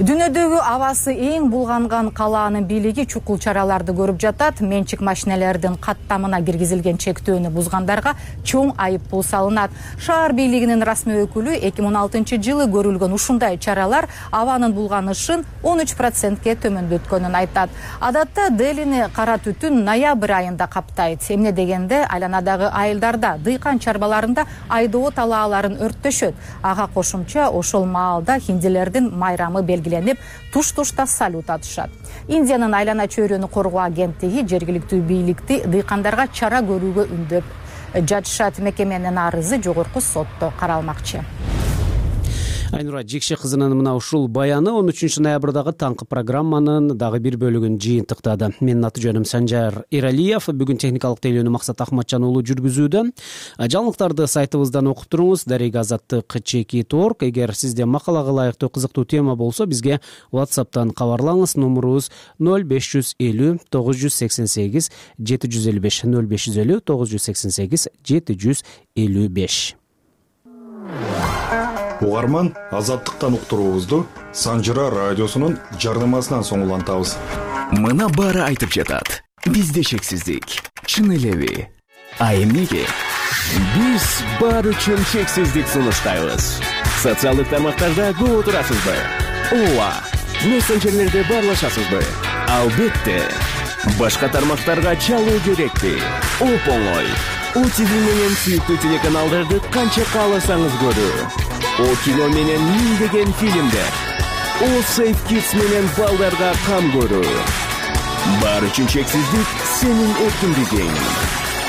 Дүйнөдөгү абасы эң булганган калаанын бийлиги чукул чараларды көрүп жатат. Менчик машинелердин каттамына киргизилген чектөөнү бузгандарга чоң айыппул салынат. Шаар бийлигинин расмий өкүлү 2016 жылы көрүлгөн ушундай чаралар абанын булганышын 13%ке төмөндөткөнүн айтат. Адатта Делини кара түтүн ноябрь айында каптайт. Эмне дегенде айланадагы айылдарда, дыйкан чарбаларында айдоо талааларын өрттөшөт. Ага кошумча ошол маалда хиндилердин майрамы белгиленип, туш-тушта салют атышат. Индиянын айлана чөйрөнү коргоо агенттиги жергиликтүү бийликти дыйкандарга чара көрүүгө үндөп жатышат. Мекеменин арызы жогорку сотто каралмакчы. Айнура Жекше кызынын мына ушул баяны 13 ноябрдагы таңкы программанын дагы бир бөлүгүн жыйынтыктады. Менин аты жөнүм Санжар Иралиев. Бүгүн техникалык тейлөөнү Максат Ахматжан уулу жүргүзүүдө. Жаңылыктарды сайтыбыздан окуп туруңуз. Дарек Азаттык /org. Эгер сизде макалага ылайыктуу кызыктуу тема болсо, бизге WhatsApp'тан кабарлаңыз. Номурубуз 0550 988 755 0550 988 755. Угарман, Азаттыктан уктуруубузду Санжыра радиосунун жардамасынан соң улантабыз. Мына баары айтып жатат. Бизде шексиздик. Чын элеби? А эмнеге? Биз баары үчүн шексиздик сунуштайбыз. Социалдык тармактарда көп отурасызбы? Ооба. Мессенджерлерде баарлашасызбы? Албетте. Башка тармактарга чалуу керекпи? Оп-оңой. ОТВ менен сүйүктүү телеканалдарды канча кааласаңыз көрүү. О кино менен миңдеген фильмдер. О Safe Kids менен балдарга кам көрүү. Баары үчүн чексиздик сенин эркиндигиң.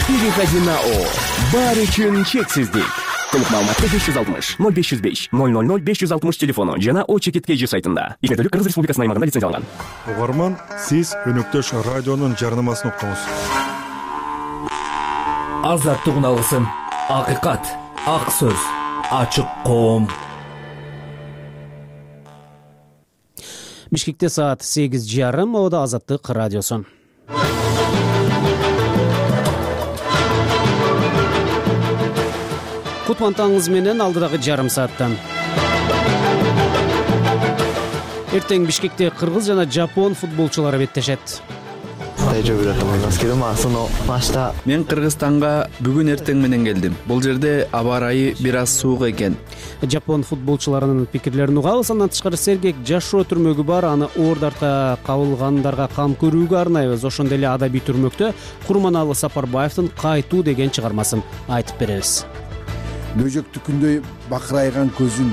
Переходи на О. Баары үчүн чексиздик. Толук маалыматты 560 0505 000 560 телефону жана O-Чекит.kg сайтында. Игердүүлүк Кыргыз Республикасынын аймагында лицензияланган. Угарман, сиз өнөктөш радионун жарнамасын уктуңуз. Азаттык алгысын, акыйкат, ак сөз, ачык коом. Бишкекте саат 8:30, Мода Азаттык радиосу. Кутмантаңыз менен алдыдагы жарым сааттан. Эртең Бишкекте кыргыз жана жапон футболчулары беттешет. Мен Кыргызстанга бүгүн эртең менен келдим. Бул жерде аба ырайы бир аз суук экен. Жапон футболчуларынын пикирлерин угабыз. Андан тышкары сергек жашоо түрмөгү бар, аны оордарта кабылгандарга кам көрүүгө арнайбыз. Ошондой эле адабий түрмөктө Курманалы Сапарбаевдин Кайтуу деген чыгармасын айтып беребиз. Бөжөктү күндөй бакырайган көзүн,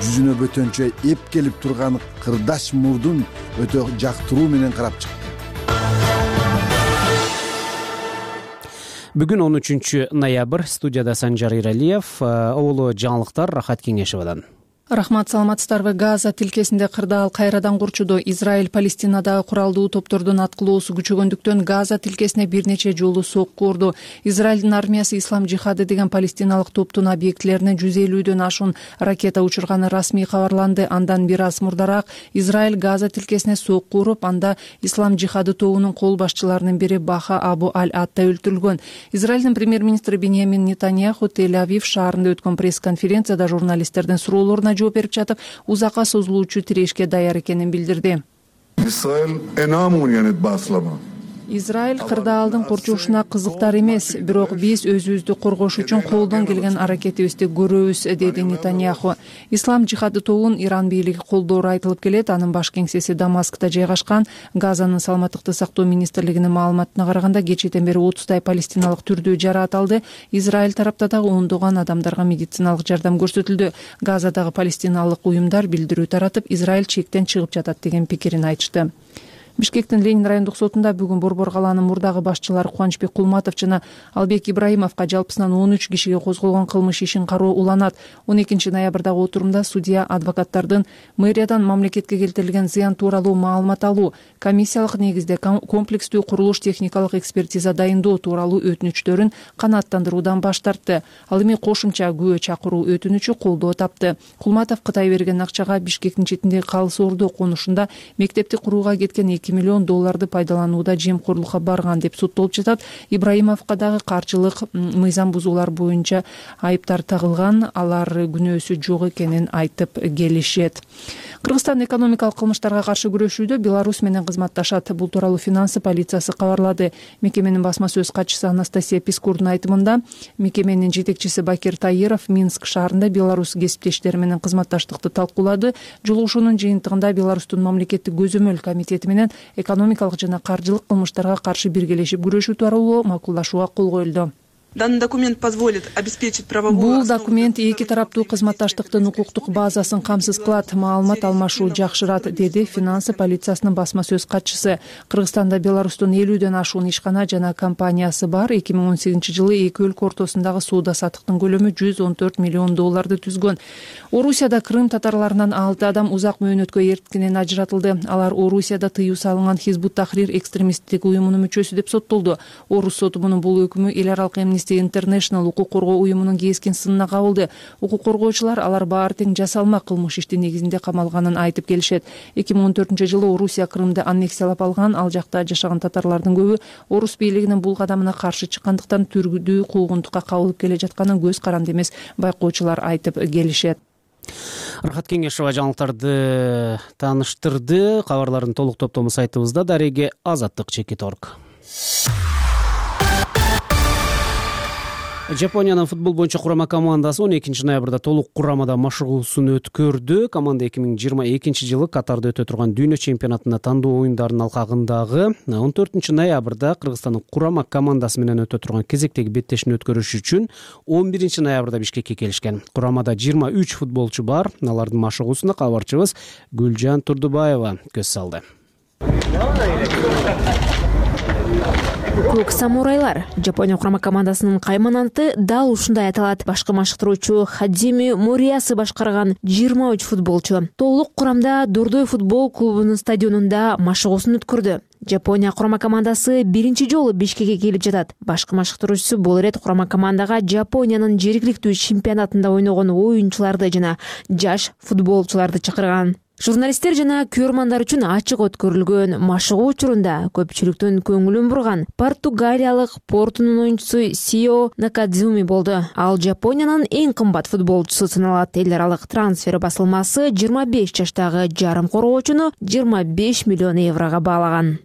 жүзүнө бөтөнчө эп келип турган кырдаш мурдун өтө жактыруу менен карап чыкты. Бүгүн 13 ноябрь, студияда Санжар Иралиев, Оолу жаңылыктар Рахат Кеңешевадан. Рахмат, саламатсыздарбы? Газа тилкесинде кырдаал кайрадан курчуду. Израиль Палестинадагы куралдуу топтордун аткылоосу күчөгөндүктөн Газа тилкесине бир нече жолу сокку урду. Израилдин армиясы Ислам жихады деген палестиналык топтун объектилерине 150дөн ашуун ракета учурганы расмий кабарланды. Андан бир аз мурдараак Израиль Газа тилкесине сокку уруп, анда Ислам жихады тобунун кол башчыларынын бири Баха Абу Аль-Атта өлтүрүлгөн. Израилдин премьер-министри Биньямин Нетаньяху Тель-Авив шаарында өткөн пресс-конференцияда журналисттердин суроолоруна жооп берип жатып, узакка созулуучу тирешке даяр экенин билдирди. Израиль кырдаалдын курчушуна кызыктар эмес, бирок биз өзүбүздү коргош үчүн колдон келген аракетибизди көрөбүз, деди Нетаньяху. Ислам жихады тобун Иран бийлиги колдоору айтылып келет. Анын баш кеңсеси Дамаскта жайгашкан. Газанын саламаттыкты сактоо министрлигинин маалыматына караганда кечээден бери 30дай палестиналык түрдүү жараат алды. Израиль тарапта дагы ондогон адамдарга медициналык жардам көрсөтүлдү. Газадагы палестиналык уюмдар билдирүү таратып, Израиль чектен чыгып жатат деген пикирин айтышты. Бишкектин Ленин райондук сотунда бүгүн Борбор калаанын мурдагы башчылары Кубанычбек Кулматов жана Албек Ибраимовго жалпысынан 13 кишиге козголгон кылмыш ишин кароо уланат. 12 ноябрдагы отурумда судья адвокаттардын мэриядан мамлекетке келтирилген зыян тууралуу маалымат алуу, комиссиялык негизде комплекстүү курулуш техникалык экспертиза дайындоо тууралуу өтүнүчтөрүн канааттандыруудан баш тартты. Ал эми кошумча күбө чакыруу өтүнүчү колдоо тапты. Кулматов Кытай берген акчага Бишкектин четиндеги Калыс Ордо конушунда мектепти курууга кеткен $2 миллион пайдаланууда жемкорлукка барган деп соттолуп жатат. Ибраимовго дагы каржылык мыйзам бузуулар боюнча айыптар тагылган, алар күнөөсү жок экенин айтып келишет. Кыргызстан экономикалык кылмыштарга каршы күрөшүүдө Беларусь менен кызматташат. Бул тууралуу финансы полициясы кабарлады. Мекеменин басма сөз катчысы Анастасия Пискурдун айтымында, мекеменин жетекчиси Бакир Таиров Минск шаарында Беларусь кесиптештери менен кызматташтыкты талкуулады. Жолугушуунун жыйынтыгында Беларустун мамлекеттик көзөмөл комитети менен экономикалык жана каржылык кылмыштарга каршы биргелешип күрөшүү тууралуу макулдашууга кол коюлду. Данный документ позволит обеспечить правовую. Бул документ эки тараптуу кызматташтыктын укуктук базасын камсыз кылат, маалымат алмашуу жакшырат, деди финансы полициясынын басма сөз катчысы. Кыргызстанда Беларустун 50дөн ашуун ишкана жана компаниясы бар. 2018-жылы эки өлкө ортосундагы соода саттыктын көлөмү $114 миллион түзгөн. Орусияда Крым татарларынан 6 адам узак мөөнөткө эрткинен ажыратылды. Алар Орусияда тыюу салынган Хизбут Тахрир экстремисттик уюмунун мүчөсү деп соттолду. Орус соту мунун бул өкүмү эл аралык International укук коргоо уюмунун кескин сынына кабылды. Укук коргоочулар алар баары тең жасалма кылмыш ишти негизинде камалганын айтып келишет. 2014-жылы Орусия Крымды аннексиялап алган, ал жакта жашаган татарлардын көбү орус бийлигинин бул кадамына каршы чыккандыктан түргүдүү куугунтукка кабылып келе жатканын көз каранды эмес байкоочулар айтып келишет. Рахат Кеңешева жаңылыктарды тааныштырды. Кабарлардын толук топтому сайтыбызда, дареге азаттык.org. Жапониянын футбол боюнча курама командасы 12 ноябрда толук курамада машыгуусун өткөрдү. Команда 2022 жылы Катарда өтө турган дүйнө чемпионатына тандоо оюндарынын алкагындагы 14 ноябрда Кыргызстандын курама командасы менен өтө турган кезектеги беттешин өткөрүш үчүн 11 ноябрда Бишкекке келишкен. Курамада 23 футболчу бар. Алардын машыгуусуна кабарчыбыз Гүлжан Турдубаева көз салды. Көк самурайлар Жапония курама командасынын каймананты дал ушундай аталат. Башкы машыктыруучу Хадими Муриясы башкарган 23 футболчу толук курамда Дордой футбол клубунун стадионунда машыгуусун өткөрдү. Жапония курама командасы биринчи жолу Бишкекке келип жатат. Башкы машыктыруучусу бул ирет курама командага Жапониянын жергиликтүү чемпионатында ойногон оюнчуларды жана жаш футболчуларды чакырган. Журналисттер жана көрөрмандар үчүн ачык өткөрүлгөн машыгуу учурунда көпчүлүктүн көңүлүн бурган португалиялык Портунун оюнчусу Сио Накадзуми болду. Ал Жапониянын эң кымбат футболчусу саналат. Эл аралык трансфер басылмасы 25 жаштагы жарым коргоочуну 25 миллион еврого баалаган.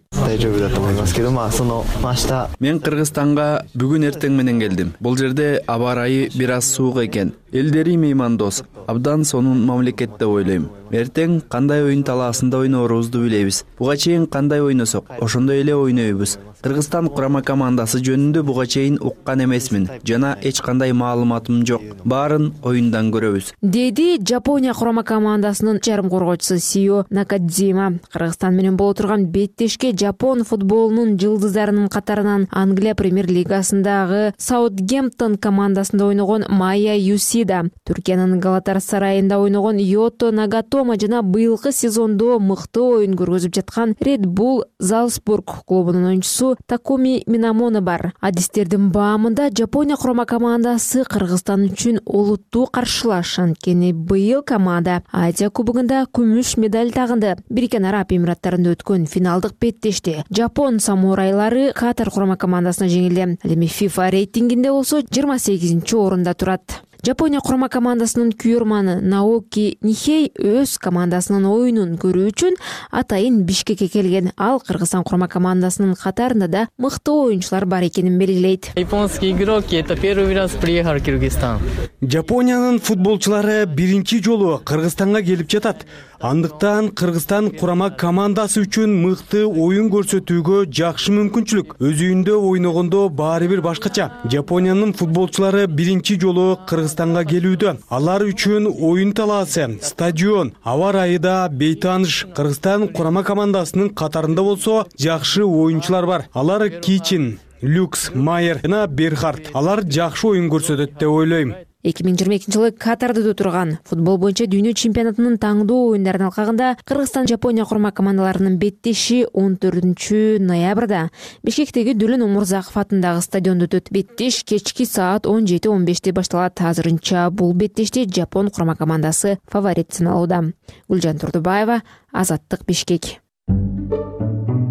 Мен Кыргызстанга бүгүн эртең менен келдим. Бул жерде аба ырайы бир аз суук экен. Элдери меймандос, абдан сонун мамлекет деп ойлойм. Эртең кандай оюн талаасында ойнорубузду билебиз. Буга чейин кандай ойносок, ошондой эле ойнойбуз. Кыргызстан курама командасы жөнүндө буга чейин уккан эмесмин жана эч кандай маалыматым жок. Баарын оюндан көрөбүз. Деди Жапония курама командасынын жарым коргоочусу Сио Накадзима. Кыргызстан менен боло турган беттешке Жапон футболунун жылдыздарынын катарынан Англия премьер-лигасындагы Саутгемптон командасында ойногон Майя Юсида, Түркиянын Галатасарайында ойногон Йото Нагатома жана быйылкы сезондо мыкты оюн көргөзүп жаткан Red Bull Залцбург клубунун оюнчусу Такуми Минамоно бар. Адистердин баамында Жапония курама командасы Кыргызстан үчүн олуттуу каршылаш. Анткени быйыл команда Азия кубогунда күмүш медаль тагынды. Бириккен Араб Эмираттарында өткөн финалдык беттеште Жапон самурайлары Катар курама командасына жеңилди. Ал эми FIFA рейтингинде болсо 28-орунда турат. Жапония курама командасынын күйөрманы Наоки Нихей өз командасынын оюнун көрүү үчүн атайын Бишкекке келген. Ал Кыргызстан курама командасынын катарында да мыкты оюнчулар бар экенин белгилейт. Японский игроки это первый раз приехал в Кыргызстан. Жапониянын футболчулары биринчи жолу Кыргызстанга келип жатат. Андыктан Кыргызстан курама командасы үчүн мыкты оюн көрсөтүүгө жакшы мүмкүнчүлүк. Өз үйүндө ойногондо баары бир башкача. Жапониянын футболчулары биринчи жолу Кыргызстанга келүүдө. Алар үчүн оюн талаасы, стадион, аба ырайы да бейтааныш. Кыргызстан курама командасынын катарында болсо жакшы оюнчулар бар. Алар Кичин, Люкс, Майер жана Берхард. Алар жакшы оюн көрсөтөт деп ойлойм. 2022 жылы Катарда өтө турган футбол боюнча дүйнө чемпионатынын таңдоо оюндарынын алкагында Кыргызстан Жапония курама командаларынын беттеши 14 ноябрда Бишкектеги Дүлөн Омурзаков атындагы стадиондо өтөт. Беттеш кечки саат 17:15 башталат. Азырынча бул беттеште Жапон курама командасы фаворит саналууда. Гүлжан Турдубаева, Азаттык, Бишкек.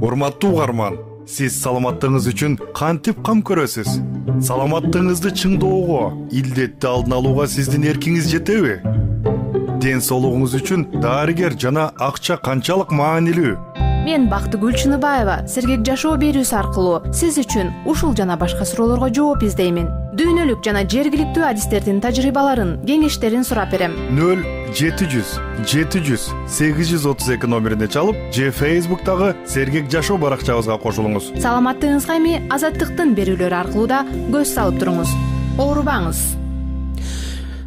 Урматтуу угарман, сиз саламаттыгыңыз үчүн кантип кам көрөсүз? Саламаттыгыңызды чыңдоого, илдетти алдын алууга сиздин эркиңиз жетеби? Ден соолугуңуз үчүн дарыгер жана акча канчалык маанилүү? Мен Бактыгүл Чыныбаева Сергек жашоо берүүсү аркылуу сиз үчүн ушул жана башка суроолорго жооп издеймин. Дүйнөлүк жана жергиликтүү адистердин тажрыйбаларын, кеңештерин сурап берем. 0700 700 832 номерине чалып, же Facebook'тагы Сергек жашоо баракчабызга кошулуңуз. Саламаттыгыңызга эми Азаттыктын берүүлөрү аркылуу да көз салып туруңуз. Оорубаңыз.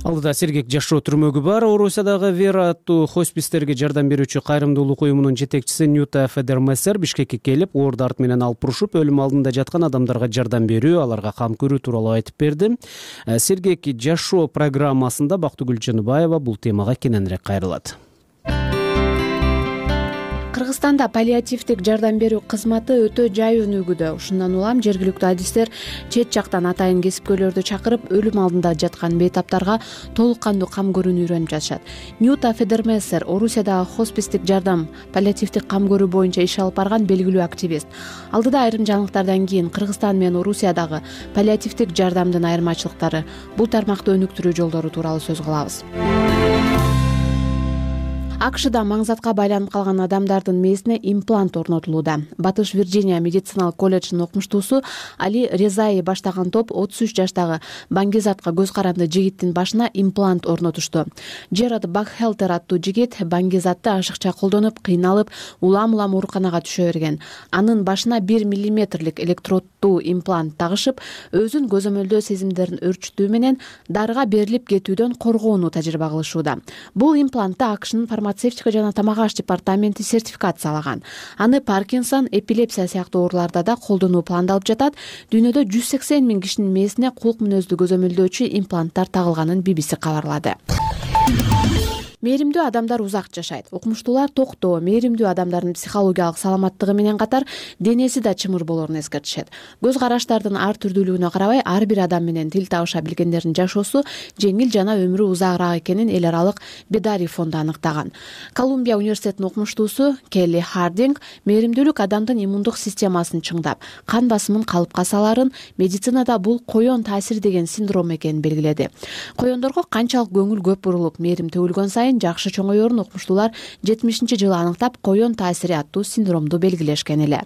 Алдыда Сергек жашоо түрмөгү бар. Орусиядагы Вера аттуу хоспистерге жардам берүүчү кайрымдуулук уюмунун жетекчиси Ньюта Федермессер Бишкекке келип, оор дарт менен алып урушуп, өлүм алдында жаткан адамдарга жардам берүү, аларга кам көрүү тууралуу айтып берди. Сергек жашоо программасында Бактыгүл Чыныбаева бул темага кененирээк кайрылат. Кыргызстанда паллиативдик жардам берүү кызматы өтө жай өнүгүүдө. Ушундан улам жергиликтүү адистер чет жактан атайын кесипкөйлөрдү чакырып, өлүм алдында жаткан бейтаптарга толук кандуу кам көрүүнү үйрөнүп жатышат. Ньюта Федермессер Орусиядагы хоспистик жардам, паллиативдик кам көрүү боюнча иш алып барган белгилүү активист. Алдыда айрым жаңылыктардан кийин Кыргызстан менен Орусиядагы паллиативдик жардамдын айырмачылыктары, бул тармакты өнүктүрүү жолдору тууралуу сөз кылабыз. акшда маңзатка байланып калган адамдардын мээсине имплант орнотулууда. Батыш Вирджиния медициналык колледжинин окумуштуусу Али Резаи баштаган топ 33 жаштагы Баңгизатка көз каранды жигиттин башына имплант орнотушту. Джерард Бакхелтер аттуу жигит Баңгизатты ашыкча колдонуп, кыйналып, улам-улам ооруканага түшө берген. Анын башына 1 миллиметрлик электроддуу имплант тагышып, өзүн көзөмөлдөө сезимдерин өрчүтүү менен дарыга берилип кетүүдөн коргоону тажрыйба кылышууда. Бул имплантты АКШнын фармацевтика жана тамак аш департаменти сертификациялаган. Аны Паркинсон, эпилепсия сыяктуу ооруларда да колдонуу пландалып жатат. Дүйнөдө 180 000 кишинин мээсине кулк мүнөздүү көзөмөлдөөчү импланттар тагылганын BBC кабарлады. Мээримдүү адамдар узак жашайт. Окумуштуулар токтоо мээримдүү адамдардын психологиялык саламаттыгы менен катар денеси да чымыр болорун эскертишет. Көз караштардын ар түрдүүлүгүнө карабай, ар бир адам менен тил табыша билгендердин жашоосу жеңил жана өмүрү узагыраак экенин эл аралык Бедари фонду аныктаган. Колумбия университетинин окумуштуусу Келли Хардинг мээримдүүлүк адамдын иммундук системасын чыңдап, кан басымын калыпка саларын, медицинада бул коен таасири деген синдром экенин белгиледи. Коендорго канчалык көңүл көп бурулуп, мээрим төгүлгөн сайын жакшы чоңоерун окумуштуулар 70-жылы аныктап, коен таасири аттуу синдромду белгилешкен эле.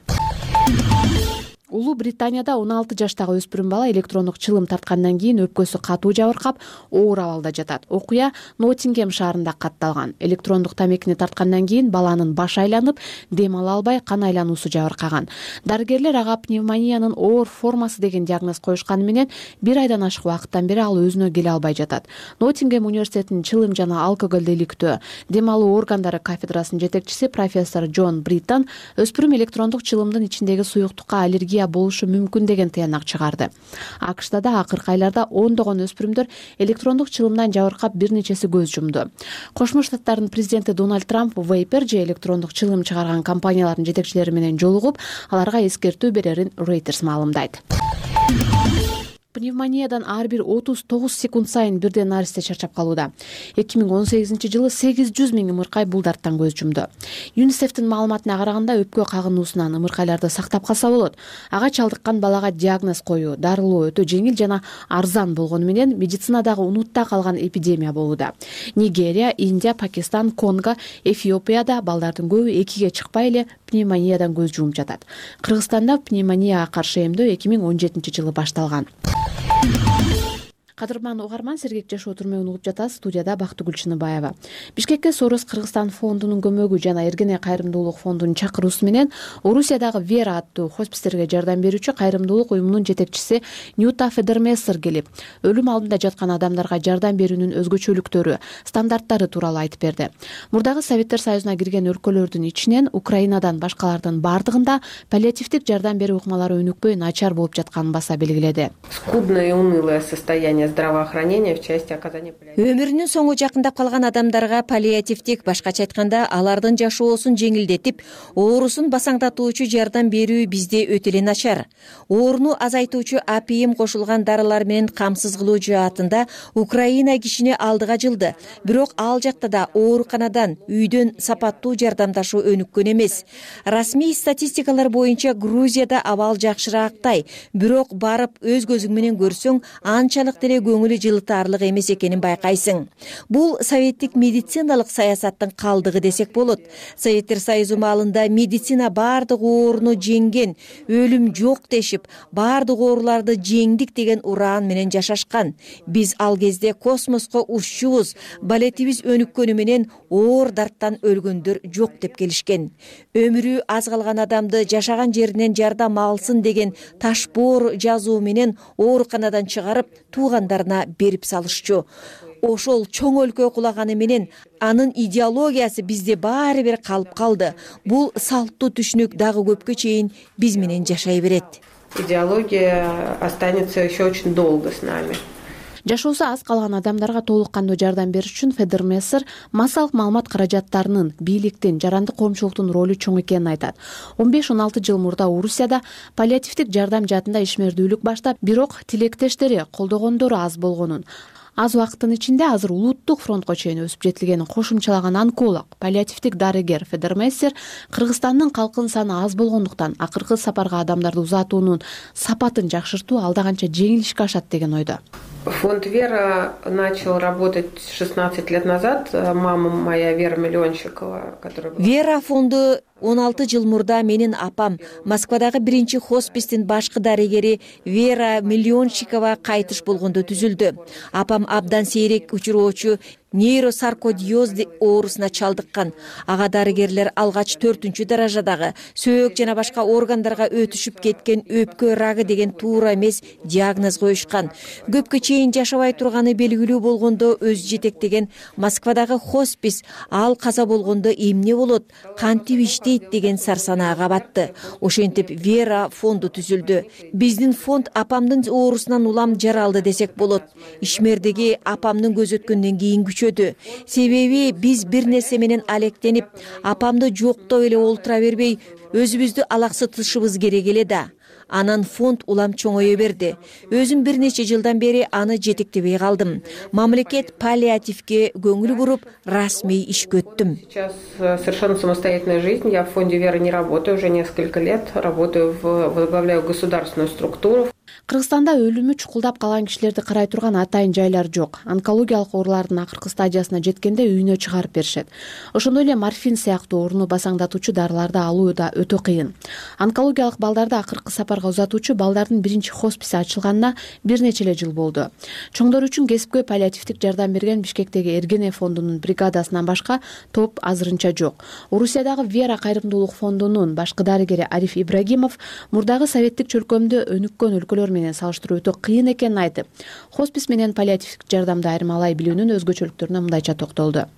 Улуу Британияда 16 жаштагы өспүрүм бала электрондук чылым тарткандан кийин өпкөсү катуу жабыркап, оор абалда жатат. Окуя Ноттингем шаарында катталган. Электрондук тамекини тарткандан кийин баланын башы айланып, дем ала албай, кан айлануусу жабыркаган. Дарыгерлер ага пневмониянын оор формасы деген диагноз коюшканы менен 1 айдан ашык убакыттан бери ал өзүнө келе албай жатат. Ноттингем университетинин чылым жана алкоголду иликтөө, дем алуу органдары кафедрасынын жетекчиси профессор Джон Бриттон өспүрүм электрондук чылымдын ичиндеги суюктукка аллергия болушу мүмкүн деген тыянак чыгарды. АКШда да акыркы айларда ондогон өспүрүмдөр электрондук чылымдан жабыркап, бир нечеси көз жумду. Кошмо Штаттардын президенти Дональд Трамп Vapor же электрондук чылым чыгарган компаниялардын жетекчилери менен жолугуп, аларга эскертүү берерин Reuters маалымдайт. Пневмониядан ар бир 39 секунд сайын бирден наристе чарчап калууда. 2018-жылы 800 000 ымыркай бул дарттан көз жумду. ЮНИСЕФтин маалыматына караганда, өпкө кагынуусунан ымыркайларды сактап калса болот. Ага чалдыккан балага диагноз коюу, дарылоо өтө жеңил жана арзан болгону менен медицинадагы унутта калган эпидемия болууда. Нигерия, Индия, Пакистан, Конго, Эфиопияда балдардын көбү 2ге чыкпай эле пневмониядан көз жумуп жатат. Кыргызстанда пневмонияга каршы эмдөө 2017-жылы башталган. Кадырман угарман, Сергек жашоо түрмөгүн угуп жатасыз. Студияда Бактыгүл Чыныбаева. Бишкекке Сорос Кыргызстан фондунун көмөгү жана Эргене кайрымдуулук фондунун чакыруусу менен Орусиядагы Вера аттуу хоспистерге жардам берүүчү кайрымдуулук уюмунун жетекчиси Ньюта Федермессер келип, өлүм алдында жаткан адамдарга жардам берүүнүн өзгөчөлүктөрү, стандарттары тууралуу айтып берди. Мурдагы Советтер Союзуна кирген өлкөлөрдүн ичинен Украинадан башкалардын бардыгында паллиативдик жардам берүү ыкмалары өнүкпөй, начар болуп жатканын баса белгиледи. Скудное и унылое состояние здравоохранения в части оказания паллиативной. Өмүрүнүн соңу жакындап калган адамдарга паллиативдик, башкача айтканда, алардын жашоосун жеңилдетип, оорусун басаңдатуучу жардам берүү бизде өтө эле начар. Ооруну азайтуучу апийим кошулган дарылар менен камсыз кылуу жаатында Украина кишини алдыга жылды. Бирок ал жакта да ооруканадан, үйдөн сапаттуу жардамдашуу өнүккөн эмес. Расмий статистикалар боюнча Грузияда абал жакшыраактай, бирок барып өз көзүң менен көрсөң, анчалык деле көңүлү жылытаарлык эмес экенин байкайсың. Бул советтик медициналык саясаттын калдыгы десек болот. Советтер Союзу маалында медицина баардык ооруну жеңген, өлүм жок дешип, баардык ооруларды жеңдик деген ураан менен жашашкан. Биз ал кезде космоско уччубуз, балетибиз өнүккөнү менен оор дарттан өлгөндөр жок деп келишкен. Өмүрү аз калган адамды жашаган жеринен жардам алсын деген ташбоор жазуу менен ооруканадан чыгарып, туугандарына берип салышчу. Ошол чоң өлкө кулаганы менен анын идеологиясы бизде баары бир калып калды. Бул салттуу түшүнүк дагы көпкө чейин биз менен жашай берет. Идеология останется еще очень долго с нами. Жашоосу аз калган адамдарга толук кандуу жардам бериш үчүн Федермессер массалык маалымат каражаттарынын, бийликтин, жарандык коомчулуктун ролу чоң экенин айтат. 15-16 жыл мурда Орусияда паллиативдик жардам жаатында ишмердүүлүк баштап, бирок тилектештери, колдогондору аз болгонун, аз убакыттын ичинде азыр улуттук фронтко чейин өсүп жетилгенин кошумчалаган онколог, паллиативдик дарыгер Федермессер Кыргызстандын калкынын саны аз болгондуктан акыркы сапарга адамдарды узатуунун сапатын жакшыртуу алда канча жеңил ишке ашат деген ойдо. Фонд «Вера» начал работать 16 лет назад. Мама моя Вера Миллионщикова, которая... Вера фонду 16 жыл мурда менин апам Москвадагы биринчи хоспистин башкы дарыгери Вера Миллионщикова кайтыш болгондо түзүлдү. Апам абдан сейрек учуроочу нейросаркодиоз оорусуна чалдыккан. Ага дарыгерлер алгач 4-даражадагы сөөк жана башка органдарга өтүшүп кеткен өпкө рагы деген туура эмес диагноз коюшкан. Көпкө чейин жашабай турганы белгилүү болгондо өзү жетектеген Москвадагы хоспис ал каза болгондо эмне болот, кантип иштейт деген сарсанаага батты. Ошентип Вера фонду түзүлдү. Биздин фонд апамдын оорусунан улам жаралды десек болот. Ишмердеги апамдын көз өткөндөн кийин себеби биз бир нерсе менен алектенип, апамды жоктоп эле олтура бербей, өзүбүздү алаксытышыбыз керек эле да. Анан фонд улам чоңое берди. Өзүм бир нече жылдан бери аны жетектебей калдым. Мамлекет паллиативге көңүл буруп, расмий ишке өттүм. Сейчас совершенно самостоятельная жизнь. Я в фонде «Вера» не работаю уже несколько лет. Возглавляю государственную структуру. Кыргызстанда өлүмү чукулдап калган кишилерди карай турган атайын жайлар жок. Онкологиялык оорулардын акыркы стадиясына жеткенде үйүнө чыгарып беришет. Ошондой эле морфин сыяктуу ооруну басаңдатуучу дарыларды алуу да өтө кыйын. Онкологиялык балдарды акыркы сапарга узатуучу балдардын биринчи хосписи ачылганына бир нече эле жыл болду. Чоңдор үчүн кесипкөй паллиативдик жардам берген Бишкектеги Эргене фондунун бригадасынан башка топ азырынча жок. Орусиядагы «Вера» кайрымдуулук фондунун башкы дарыгери Ариф Ибрагимов мурдагы советтик чөлкөмдө өнүккөн өлкөлөр менен салыштыруу өтө кыйын экенин айтып, хоспис менен паллиативдик жардамды айырмалай билүүнүн өзгөчөлүктөрүнө мындайча токтолду.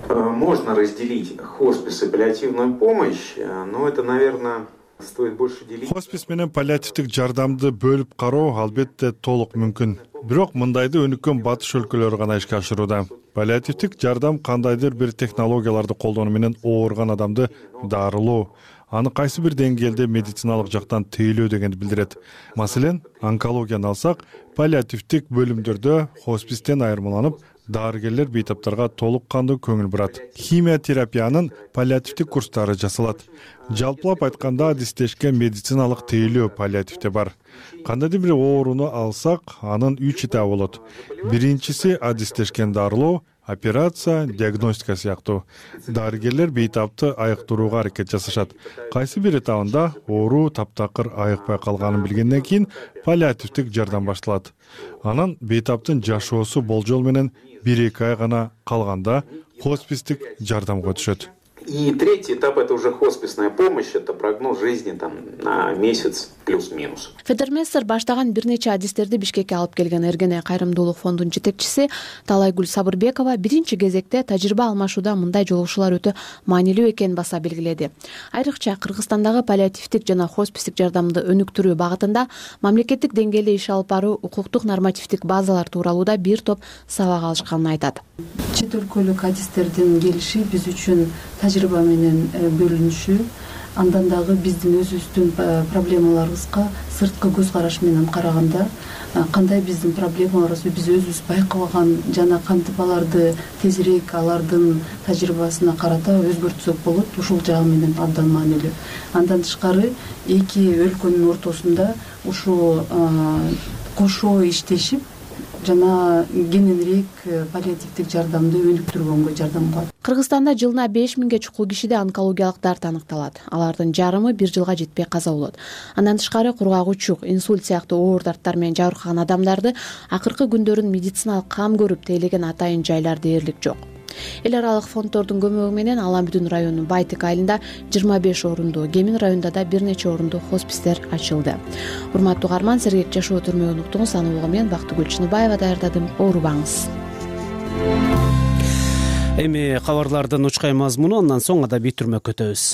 Можно разделить хоспис и паллиативную помощь, но это, наверное, стоит больше делить. Хоспис менен паллиативдик жардамды бөлүп кароо албетте толук мүмкүн. Бирок мындайды өнүккөн батыш өлкөлөрү гана ишке ашырууда. Паллиативдик жардам кандайдыр бир технологияларды колдонуу менен ооруган адамды дарылоо, аны кайсы бир деңгээлде медициналык жактан тейлөө дегенди билдирет. Маселен, онкологияны алсак, паллиативдик бөлүмдөрдө хоспистен айырмаланып, дарыгерлер бейтаптарга толук кандуу көңүл бурат. Химиотерапиянын паллиативдик курстары жасалат. Жалпылап айтканда адистешкен медициналык тейлөө паллиативде бар. Кандайдыр бир ооруну алсак, анын 3 этабы болот. Биринчиси адистешкен дарылоо, операция, диагностика сыяктуу. Дарыгерлер бейтапты айыктырууга аракет жасашат. Кайсы бир этабында оору таптакыр айыкпай калганын билгенден кийин паллиативдик жардам башталат. Анан бейтаптын жашоосу болжол менен 1-2 ай гана калганда хоспистик жардамга түшөт. И третий этап — это уже хосписная помощь, это прогноз жизни на месяц плюс-минус. Федермессер баштаган бир нече адистерди Бишкекке алып келген Эргене кайрымдуулук фондунун жетекчиси Талайгүл Сабырбекова биринчи кезекте тажрыйба алмашууда мындай жолугушуулар өтө маанилүү экенин баса белгиледи. Айрыкча Кыргызстандагы паллиативдик жана хоспистик жардамды өнүктүрүү багытында мамлекеттик деңгээлде иш алып баруу, укуктук нормативдик базалар тууралууда бир топ сабак алышканын айтат. Чет өлкөлүк адистердин келиши биз үчүн тажрыйба менен бөлүнүшү, андан дагы биздин өзүбүздүн проблемаларыбызга сырткы көз караш менен караганда кандай биздин проблемаларыбызды биз өзүбүз байкабаган жана кантип аларды тезирээк алардын тажрыйбасына карата өзгөртсөк болот, ушул жагы менен абдан маанилүү. Андан тышкары эки өлкөнүн ортосунда ушу кошо иштешип жана кененирээк паллиативдик жардамды өнүктүргөнгө жардам кылат. Кыргызстанда жылына 5000 чукул кишиде онкологиялык дарт аныкталат. Алардын жарымы 1 жылга жетпей каза болот. Андан тышкары кургагучук, инсульт сыяктуу оор дарттар менен жабыркаган адамдарды акыркы күндөрүн медициналык кам көрүп тейлеген атайын жайлар дээрлик жок. Эл аралык фонддордун көмөгү менен Ала Бүдүн районунун Байтек айылында 25 орунду, Кемин районунда да бир нече орунду хоспистер ачылды. Урматтуу угарман, сергек жашоо түрмөгүн уктуңуз. Аны улгу мен Бактыгүл Чыныбаева даярдадым. Оорубаңыз. Эми кабарлардын учкай мазмуну, андан соң адабий түрмөккө өтөбүз.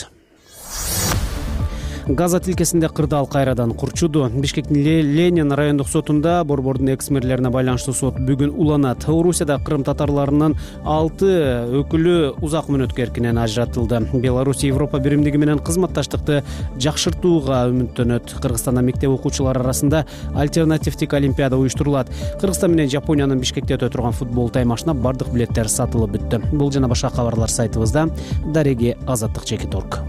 Газа тилкесинде кырдаал кайрадан курчуду. Бишкектин Ленин райондук сотунда борбордун экс-мэрлерине байланыштуу сот бүгүн уланат. Орусияда кырым татарларынын 6 өкүлү узак мөөнөткө эркинен ажыратылды. Беларусь Европа биримдиги менен кызматташтыкты жакшыртууга үмүттөнөт. Кыргызстанда мектеп окуучулары арасында альтернативдик олимпиада уюштурулат. Кыргызстан менен Жапониянын Бишкекте өтө турган футбол таймашына бардык билеттер сатылып бүттү. Бул жана башка кабарлар сайтыбызда. Дареги Азаттык Чекит.org.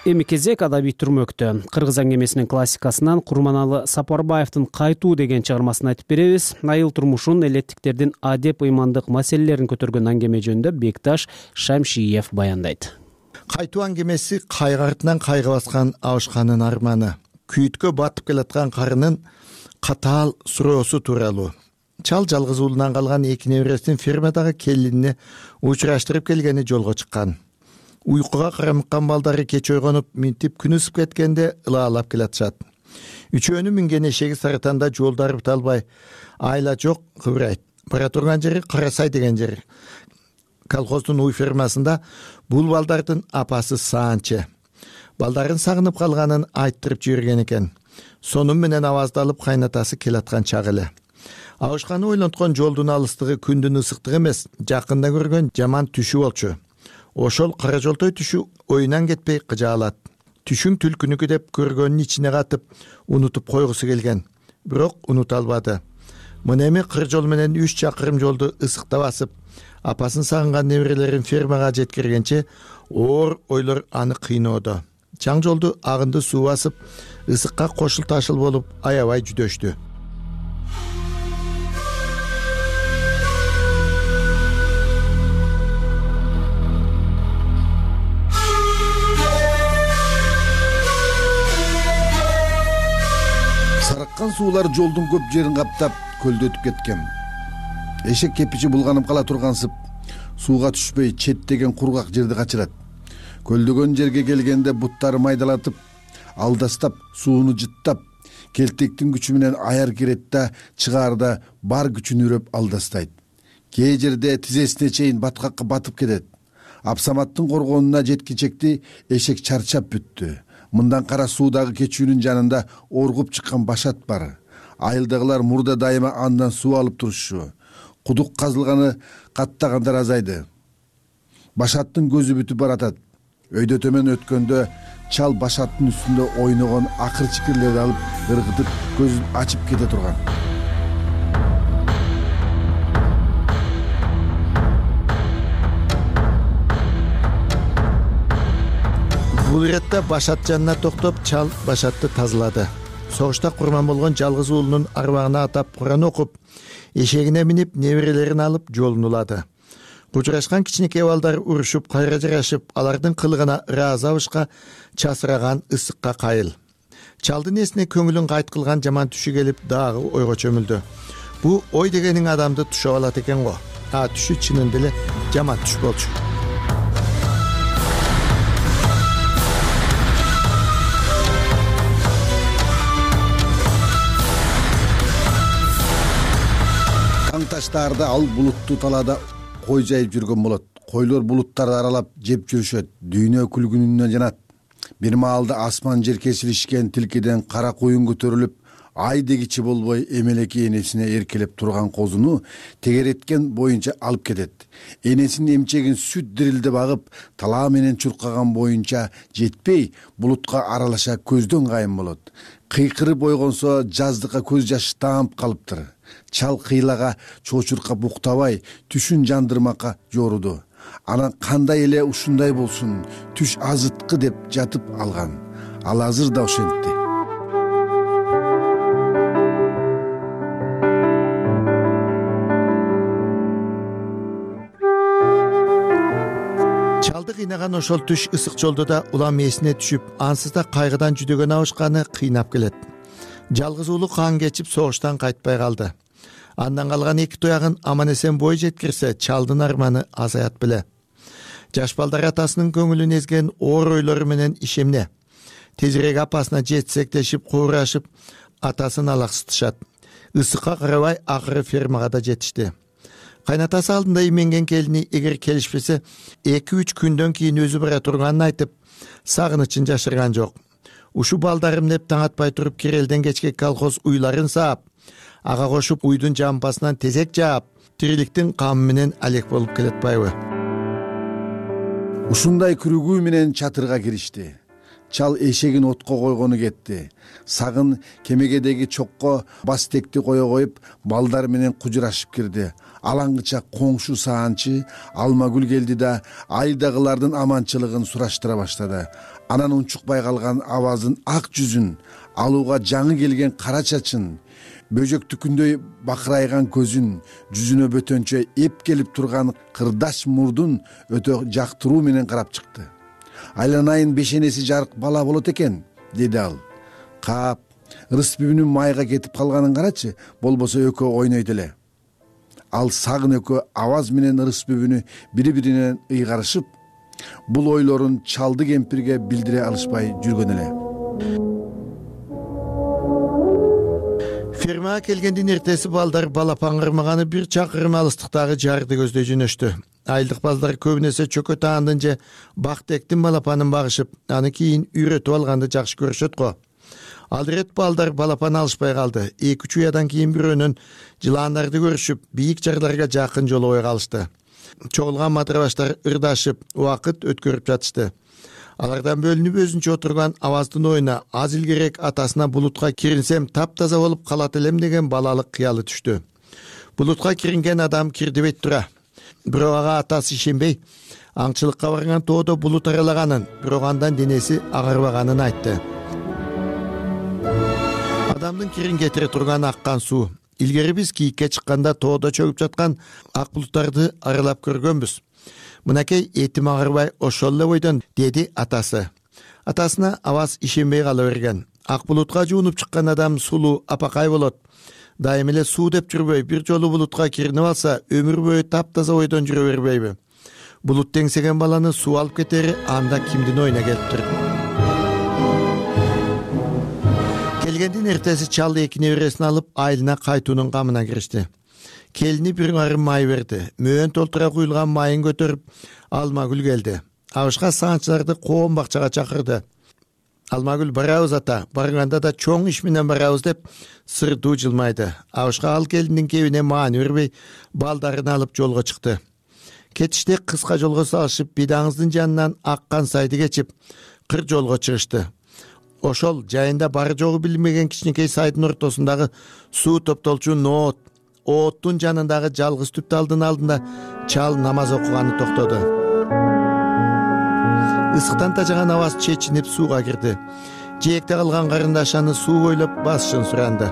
Эми кезек адабий түрмөктө. Кыргыз аңгемесинин классикасынан Курманалы Сапарбаевдин «Кайтуу» деген чыгармасын айтып беребиз. Айыл турмушун, элеттиктердин адеп ыймандык маселелерин көтөргөн аңгеме жөнүндө Бекташ Шамшиев баяндайт. Кайтуу аңгемеси кайгы артынан кайгы баскан абышканын арманы, күйүткө батып келаткан карынын катаал суроосу тууралуу. Чал жалгыз уулунан калган эки небересин фермадагы келинине учураштырып келгени жолго чыккан. Уйкуга карамыккан балдары кеч ойгонуп, минтип күн ысып кеткенде ылаалап келатышат. Үчөөнүн минген эшеги Сарытанда жолдары буталбай, айла жок кыбырайт. Бара турган жери Карасай деген жер. Колхоздун уй фермасында бул балдардын апасы Саанче. Балдарын сагынып калганын айттырып жиберген экен. Сонун менен аваздалып кайнатасы келаткан чак эле. Абышканы ойлонткон жолдун алыстыгы күндүн ысыктыгы эмес, жакында көргөн жаман түшү болчу. Ошол кара жолтой түшү оюнан кетпей кыжаалат. Түшүң түлкүнүкү деп көргөнүн ичине катып, унутуп койгусу келген. Бирок унута албады. Мына эми кыр жол менен 3 чакырым жолду ысыкта басып, апасын сагынган неберелерин фермага жеткиргенче оор ойлор аны кыйноодо. Чаң жолду агынды суу басып, ысыкка кошул ташыл болуп аябай жүдөштү. Сарыккан суулар жолдун көп жерин каптап, көлдөтүп кеткен. Эшек кепичи булганып кала тургансып, сууга түшпөй четтеген кургак жерди качырат. Көлдөгөн жерге келгенде буттары майдалатып, алдастап, сууну жыттап, келтектин күчү менен аяр кирет да, чыгаарда бар күчүн үрөп алдастайт. Кээ жерде тизесине чейин баткакка батып кетет. Апсаматтын коргонуна жеткичекти эшек чарчап бүттү. Мындан кара суудагы кечүүнүн жанында оргуп чыккан Башат бар. Айылдагылар мурда дайыма андан суу алып турушчу. Кудук казылганы каттагандар азайды. Башаттын көзү бүтүп баратат. Өйдө төмөн өткөндө чал Башаттын үстүндө ойногон акыр чикирлерди алып ыргытып көзүн ачып кете турган. Бул иретте Башат жанына токтоп, чал Башатты тазалады. Согушта курман болгон жалгыз уулунун арбагына атап Куран окуп, эшегине минип, неберелерин алып жолун улады. Кучурашкан кичинекей балдар урушуп, кайра жарашып, алардын кылыгына ыраазы абышка, часыраган ысыкка кайыл. Чалдын эсине көңүлүн кайт кылган жаман түшү келип, дагы ойго чөмүлдү. Бу ой дегениң адамды түшөп алат экен го. Түшү чынында эле жаман түш болчу. Таштаарда ал булуттуу талаада кой жайып жүргөн болот. Койлор булуттарды аралап жеп жүрүшөт. Дүйнө күлгүнүнөн жанат. Бир маалда асман жер кесилишкен тилкеден кара куюн көтөрүлүп, ай дегичи болбой эмелеки энесине эркелеп турган козуну тегереткен боюнча алып кетет. Энесинин эмчегин сүт дирилде багып, талаа менен чуркаган боюнча жетпей, булутка аралаша көздөн кайын болот. Кыйкырып ойгонсо жаздыкка көз жашы таап калыптыр. Чал кыйлага чочуркап уктабай, түшүн жандырмакка жоруду. Анан кандай эле ушундай болсун, түш азыткы деп жатып алган. Ал азыр да ошентти. Чалды кыйнаган ошол түш ысык жолдо да улам эсине түшүп, ансыз да кайгыдан жүдөгөн абышканы кыйнап келет. Жалгыз уулу кан кечип согуштан кайтпай калды. Андан калган эки туягын аман эсен бой жеткирсе, чалдын арманы азаят беле. Жаш балдар атасынын көңүлүн эзген оор ойлору менен ишемне. Тезирээк апасына жетсектешип, куурашып, атасын алаксытышат. Ысыкка карабай акыры фермага да жетишти. Кайнатасы алдында именген келини эгер келишпесе, 2-3 күндөн кийин өзү бара турганын айтып, сагынычын жашырган жок. Ушу балдарым деп таң атпай туруп Кирелден кечке колхоз уйларын саап, ага кошуп уйдун жампасынан тезек жаап, тириликтин камы менен алек болуп келатпайбы? Ушундай күрүгүү менен чатырга киришти. чал эшегин отко койгону кетти. Сагын кемегедеги чокко бас текти кое коюп, балдар менен кужурашып кирди. Алаңгыча коңшу саанчы Алмагүл келди да айдагылардын аманчылыгын сураштыра баштады. Анан унчукпай калган Аваздын ак жүзүн, алууга жаңы келген кара чачын, бөжөктүкүндөй бакырайган көзүн, жүзүнө бөтөнчө эп келип турган кырдаш мурдун өтө жактыруу менен карап чыкты. Айланайын бешенеси жарык бала болот экен, деди ал. Кап, ырысбүбүнүн майга кетип калганын карачы, болбосо экөө ойнойт эле. Ал Сагын экөө Аваз менен ырысбүбүнү бири-биринен ыйгарышып, бул ойлорун чалды кемпирге билдире алышпай жүргөн эле. Фермага келгендин эртеси балдар балапан кырмаганы бир чакырым алыстыктагы жарды көздөй жөнөштү. Айылдык балдар көбүнесе чөкө таандын же бактектин балапанын багышып, аны кийин үйрөтүп алганды жакшы көрүшөт го. Ал ирет балдар балапан алышпай калды. 2-3 уядан кийин бирөөнөн жылаандарды көрүшүп, бийик жарларга жакын жолобой калышты. Чогулган матырабаштар ырдашып, убакыт өткөрүп жатышты. Алардан бөлүнүп өзүнчө отурган Аваздын оюна аз илгерээк атасына булутка киринсем таптаза болуп калат элем деген балалык кыялы түштү. Булутка киринген адам кирдибейт тура. Бирок ага атасы ишенбей, аңчылыкка барган тоодо булут аралаганын, бирок андан денеси агарбаганын айтты. Адамдын кирин кетире турган аккан суу. Илгери биз кийикке чыкканда тоодо чөгүп жаткан ак булуттарды аралап көргөнбүз. Мынакей этим агарбай ошол эле бойдон, деди атасы. Атасына Аваз ишенбей кала берген. Ак булутка жуунуп чыккан адам сулуу, апакай болот. Дайым эле суу деп жүрбөй, бир жолу булутка киринип алса, өмүр бою таптаза бойдон жүрө бербейби? Булут теңсеген баланы суу алып кетери анда кимдин оюна келиптир? Келгендин эртеси чал эки небересин алып айылына кайтуунун камына киришти. Келини бир арым май берди. Мөөн толтура куюлган майын көтөрүп Алмагүл келди. Абышка саанчыларды коом бакчага чакырды. Алмагүл барабыз ата, барганда да чоң иш менен барабыз деп сырдуу жылмайды. Абышка ал келиндин кебине маани бербей, балдарын алып жолго чыкты. Кетиште кыска жолго салышып, бидаңыздын жанынан аккан сайды кечип, кыр жолго чыгышты. Ошол жайында бары жогу билинбеген кичинекей сайдын ортосундагы суу топтолчу Ооттун жанындагы жалгыз түп талдын алдында чал намаз окуганы токтоду. Ысыктан тажаган Аваз чечинип сууга кирди. Жээкте калган карындаш аны суу бойлоп басышын суранды.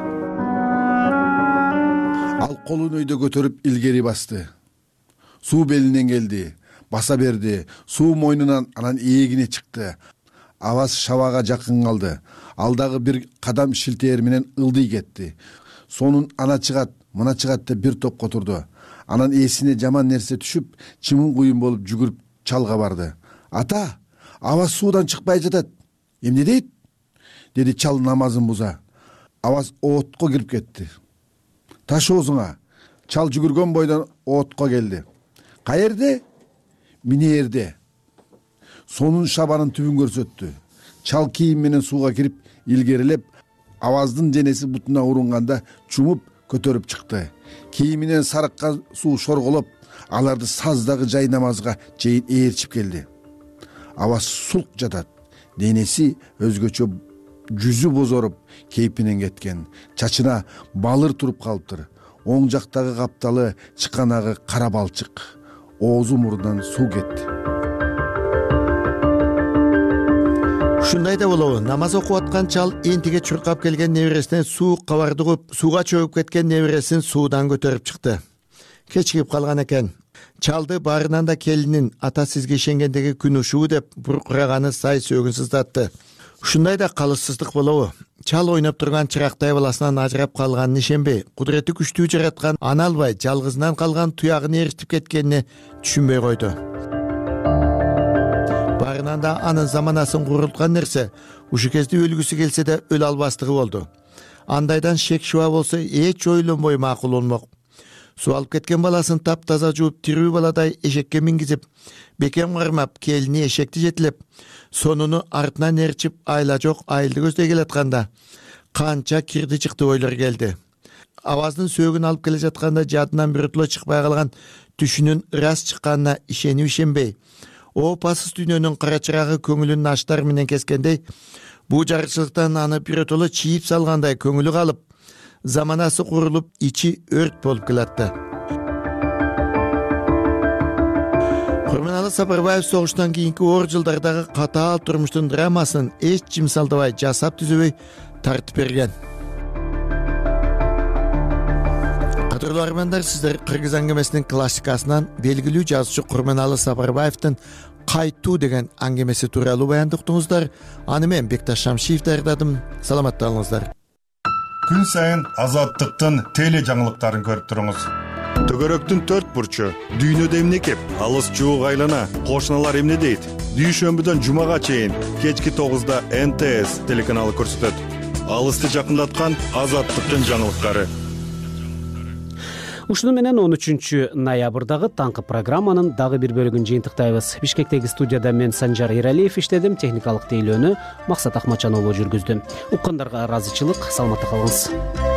Ал колун өйдө көтөрүп илгери басты. Суу белинен келди, баса берди, суу мойнунан анан ээлегине чыкты. Аваз шабага жакын калды. Ал дагы бир кадам шилтээр менен ылдый кетти. Сонун ана чыгат, мына чыгат деп бир топко турду. Анан эсине жаман нерсе түшүп, чымын куюн болуп жүгүрүп чалга барды. Ата, Аваз суудан чыкпай жатат. Эмне дейт? Деди чал намазын буза. Аваз оотко кирип кетти. Таш оозуңа. Чал жүгүргөн бойдон оотко келди. Каерде? Минээрде. Сонун шабанын түбүн көрсөттү. Чал кийим менен сууга кирип, илгерилеп, Аваздын денеси бутуна урунганда чумуп көтөрүп чыкты. Кийиминен сарыккан суу шорголоп, аларды саздагы жай намазга чейин ээрчип келди. Аваз сулк жатат. Денеси өзгөчө, жүзү бозоруп, кейпинен кеткен. Чачына балыр туруп калыптыр. Оң жактагы капталы чыканагы кара балчык. Оозу мурунан суу кетти. Ушундай да болобу, намаз окуп аткан чал энтиге чуркап келген небересинен суу кабарды коюп, сууга чөгүп кеткен небересин суудан көтөрүп чыкты. Кечигип калган экен. Чалды баарынан да келинин ата сизге ишенгендеги күн ушуу деп буркураганы сай сөөгүн сыздатты. Ушундай да калыссыздык болобу? Чал ойноп турган чырактай баласынан ажырап калганын ишенбей, кудурети күчтүү жараткан ана албай жалгызынан калган туягын ээрчитип кеткенине түшүнбөй койду. Баарынан да анын заманасын курулткан нерсе ушу кезде өлгүсү келсе да өлө албастыгы болду. Андайдан шек шуба болсо эч ойлонбой макул болмок. Суу алып кеткен баласын таптаза жууп, тирүү баладай эшекке мингизип, бекем кармап, келини эшекти жетилеп, сонуну артынан ээрчип, айла жок айылды көздөй келатканда канча кирди чыкты ойлор келди. Аваздын сөөгүн алып келе жатканда жадынан биротоло чыкпай калган түшүнүн ырас чыкканына ишенип ишенбей, опасыз дүйнөнүн кара чырагы көңүлүн аштар менен кескендей, бул жарыкчылыктан аны биротоло чийип салгандай көңүлү калып, заманасы курулуп, ичи өрт болуп келатты. Курманалы Сапарбаев согуштан кийинки оор жылдардагы катаал турмуштун драмасын эч жимсалдабай, жасап түзөбөй тартып берген. Кадырлуу армандар, сиздер Кыргыз аңгемесинин классикасынан белгилүү жазуучу Курманалы Сапарбаевдин «Кайтуу» деген аңгемеси тууралуу баянды уктуңуздар. Аны мен Бекташ Шамшиев даярдадым. Саламатта калыңыздар. Күн сайын Азаттыктын теле жаңылыктарын көрүп туруңуз. Төгөрөктүн 4 бурчу, дүйнөдө эмне кеп, алыс жуук айлана, кошуналар эмне дейт? Дүйшөмбүдөн жумага чейин кечки 9да НТС телеканалы көрсөтөт. Алысты жакындаткан Азаттыктын жаңылыктары. Ушуну менен 13 ноябрдагы таңкы программанын дагы бир бөлүгүн жыйынтыктайбыз. Бишкектеги студияда мен Санжар Эралиев иштедим, техникалык тейлөөнү Максат Акмачан уулу жүргүздү. Уккандарга ыраазычылык, саламатта калыңыз.